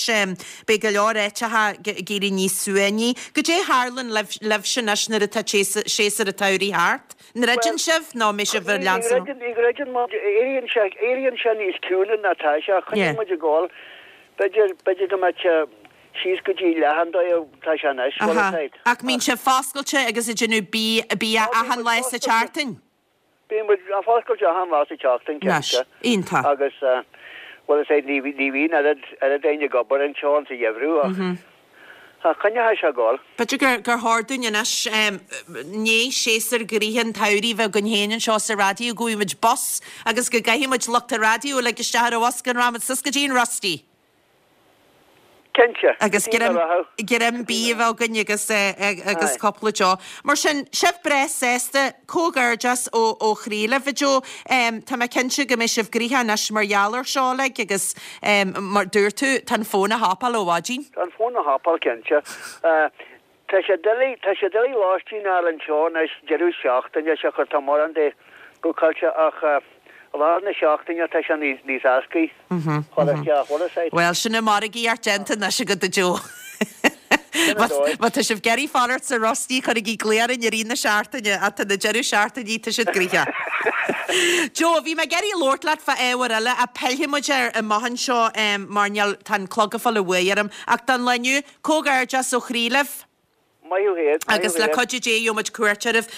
A: Beidh go leor áiteacha ag éirí níos suaimhní. Goidé a tharlann libhse anois nuair atá séasúr an tsamhraidh thart? An ndruideann sibh nó an mbeidh sibh ar leanstan?
H: Ní dhruideann muid. Éiríonn sé, éiríonn sé níos ciúine ná tá sé. Coinníonn muid ag gabháil. B'fhéidir, b'fhéidir go mbeadh sé síos go dtí leath an dóigh atá sé anois, bhfuil a fhios
A: agat. Ach mbíonn sibh foscailte agus ag déanamh bia achan lá sa tseachtain?
H: Bíonn muid foscailte achan lá sa tseachtain, cinnte.
A: Iontach.
H: Agus, bhuel, is é, ní bhíonn oiread, oiread éinne ag obair anseo sa gheimhreadh ach, ach coinneoidh sé ag gabháil.
A: B'fhéidir gur, gur chóir dúinn anois, i ndiaidh séasúr gnoitheach an tsamhraidh a bheith againn féin anseo sa raidió, go bhfaighidh muid bus agus go gcaithfidh muid lucht an raidió uilig isteach ar an bhus go rachaidh muid suas go dtí an Rusty.
H: Cinnte.
A: Agus greim bídh a bheith againn agus agus cúpla deoch. Mar sin, sibh breá sásta, comhghairdeas ó ó chroí libh, a Joe. Tá mé cinnte go mbeidh sibh gnoitheach anois mar gheall ar seo uilig agus mar dúirt tú, tá an fón á thapáil ó mhaidin.
H: Tá an fón á thapáil, cinnte. Tá sé doiligh, tá sé doiligh lóistín a fháil anseo anois deireadh seachtaine, siocair tá mórán de bookáilte ach i lár na seachtaine tá sé níos, níos éascaí chur isteach, bhfuil a fhios
A: agat. Bhuel, sin an margaíocht déanta anois agat a Joe.
H: Sin an dóigh.
A: Má tá sibh ag iarraidh fanacht sa Rusty, cuirigí glao orainn i rith na seachtaine, ach tá na deireadh seachtainí, tá siad gnoitheach. Joe, bhí mé ag iarraidh labhairt leat fá ábhar eile ach pillfidh muid air amach anseo mar níl, tá an clog ag fáil an bhuaidh orm. Ach don lá inniu, Comhghairdeas ó chroí libh.
H: Maith thú fhéin, maith thú
A: Agus le
H: fhéin.
A: cuidiú Dé gheobhaidh muid cuairt oraibh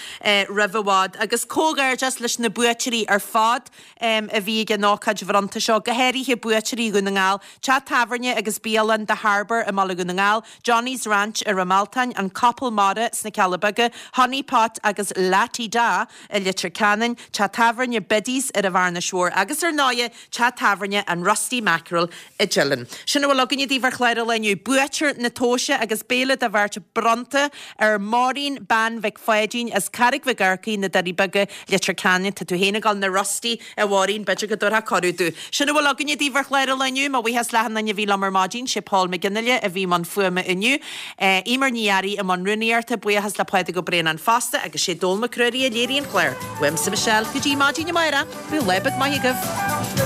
A: roimh i bhfad. Agus comhghairdeas leis na buaiteoirí ar fad a bhí ag an ócáid bhronnta seo, go háirithe buaiteoirí Dhún na nGall, Teach Tábhairne agus Bialann The Harbour i mBaile Dhún na nGall, Johnny's Ranch i Ráth Mealtain, An Capall Mara sna Cealla Beaga, Honey Pot agus La Ti Da i Leitir Ceanainn, Teach Tábhairne Biddy's ar an Bhearnais Mhór agus ar ndóighe Teach Tábhairne an Rusty Mackerel i dTeileann. Sin a bhfuil againne daoibh ar chlár an lae inniu. Buaiteoir na tomhaise agus béile do bheirt bronnta. áirithe ar Máirín Bean Mhic Pháidín as Carraig Mhic Earcaigh, Na Doirí Beaga, Leitir Ceanainn. Tá tú féin ag dul na Rusty, a Mháirín, b'fhéidir go dtabharfá cuireadh domh. Sin a bhfuil againne daoibh ar chlár an lae inniu. Mo bhuíochas le achan duine a bhí liom ar maidin. Sé Paul McGinley a bhí i mbun fuaime inniu. Eimear Ní Fhearraigh i mbun rúnaíochta. Buíochas le Pádraig Ó Braonáin fosta agus sé Dónall Mac Ruairí a léirigh an clár. Uaimse Michelle, go dtí maidin amárach, bíodh lá beag maith agaibh.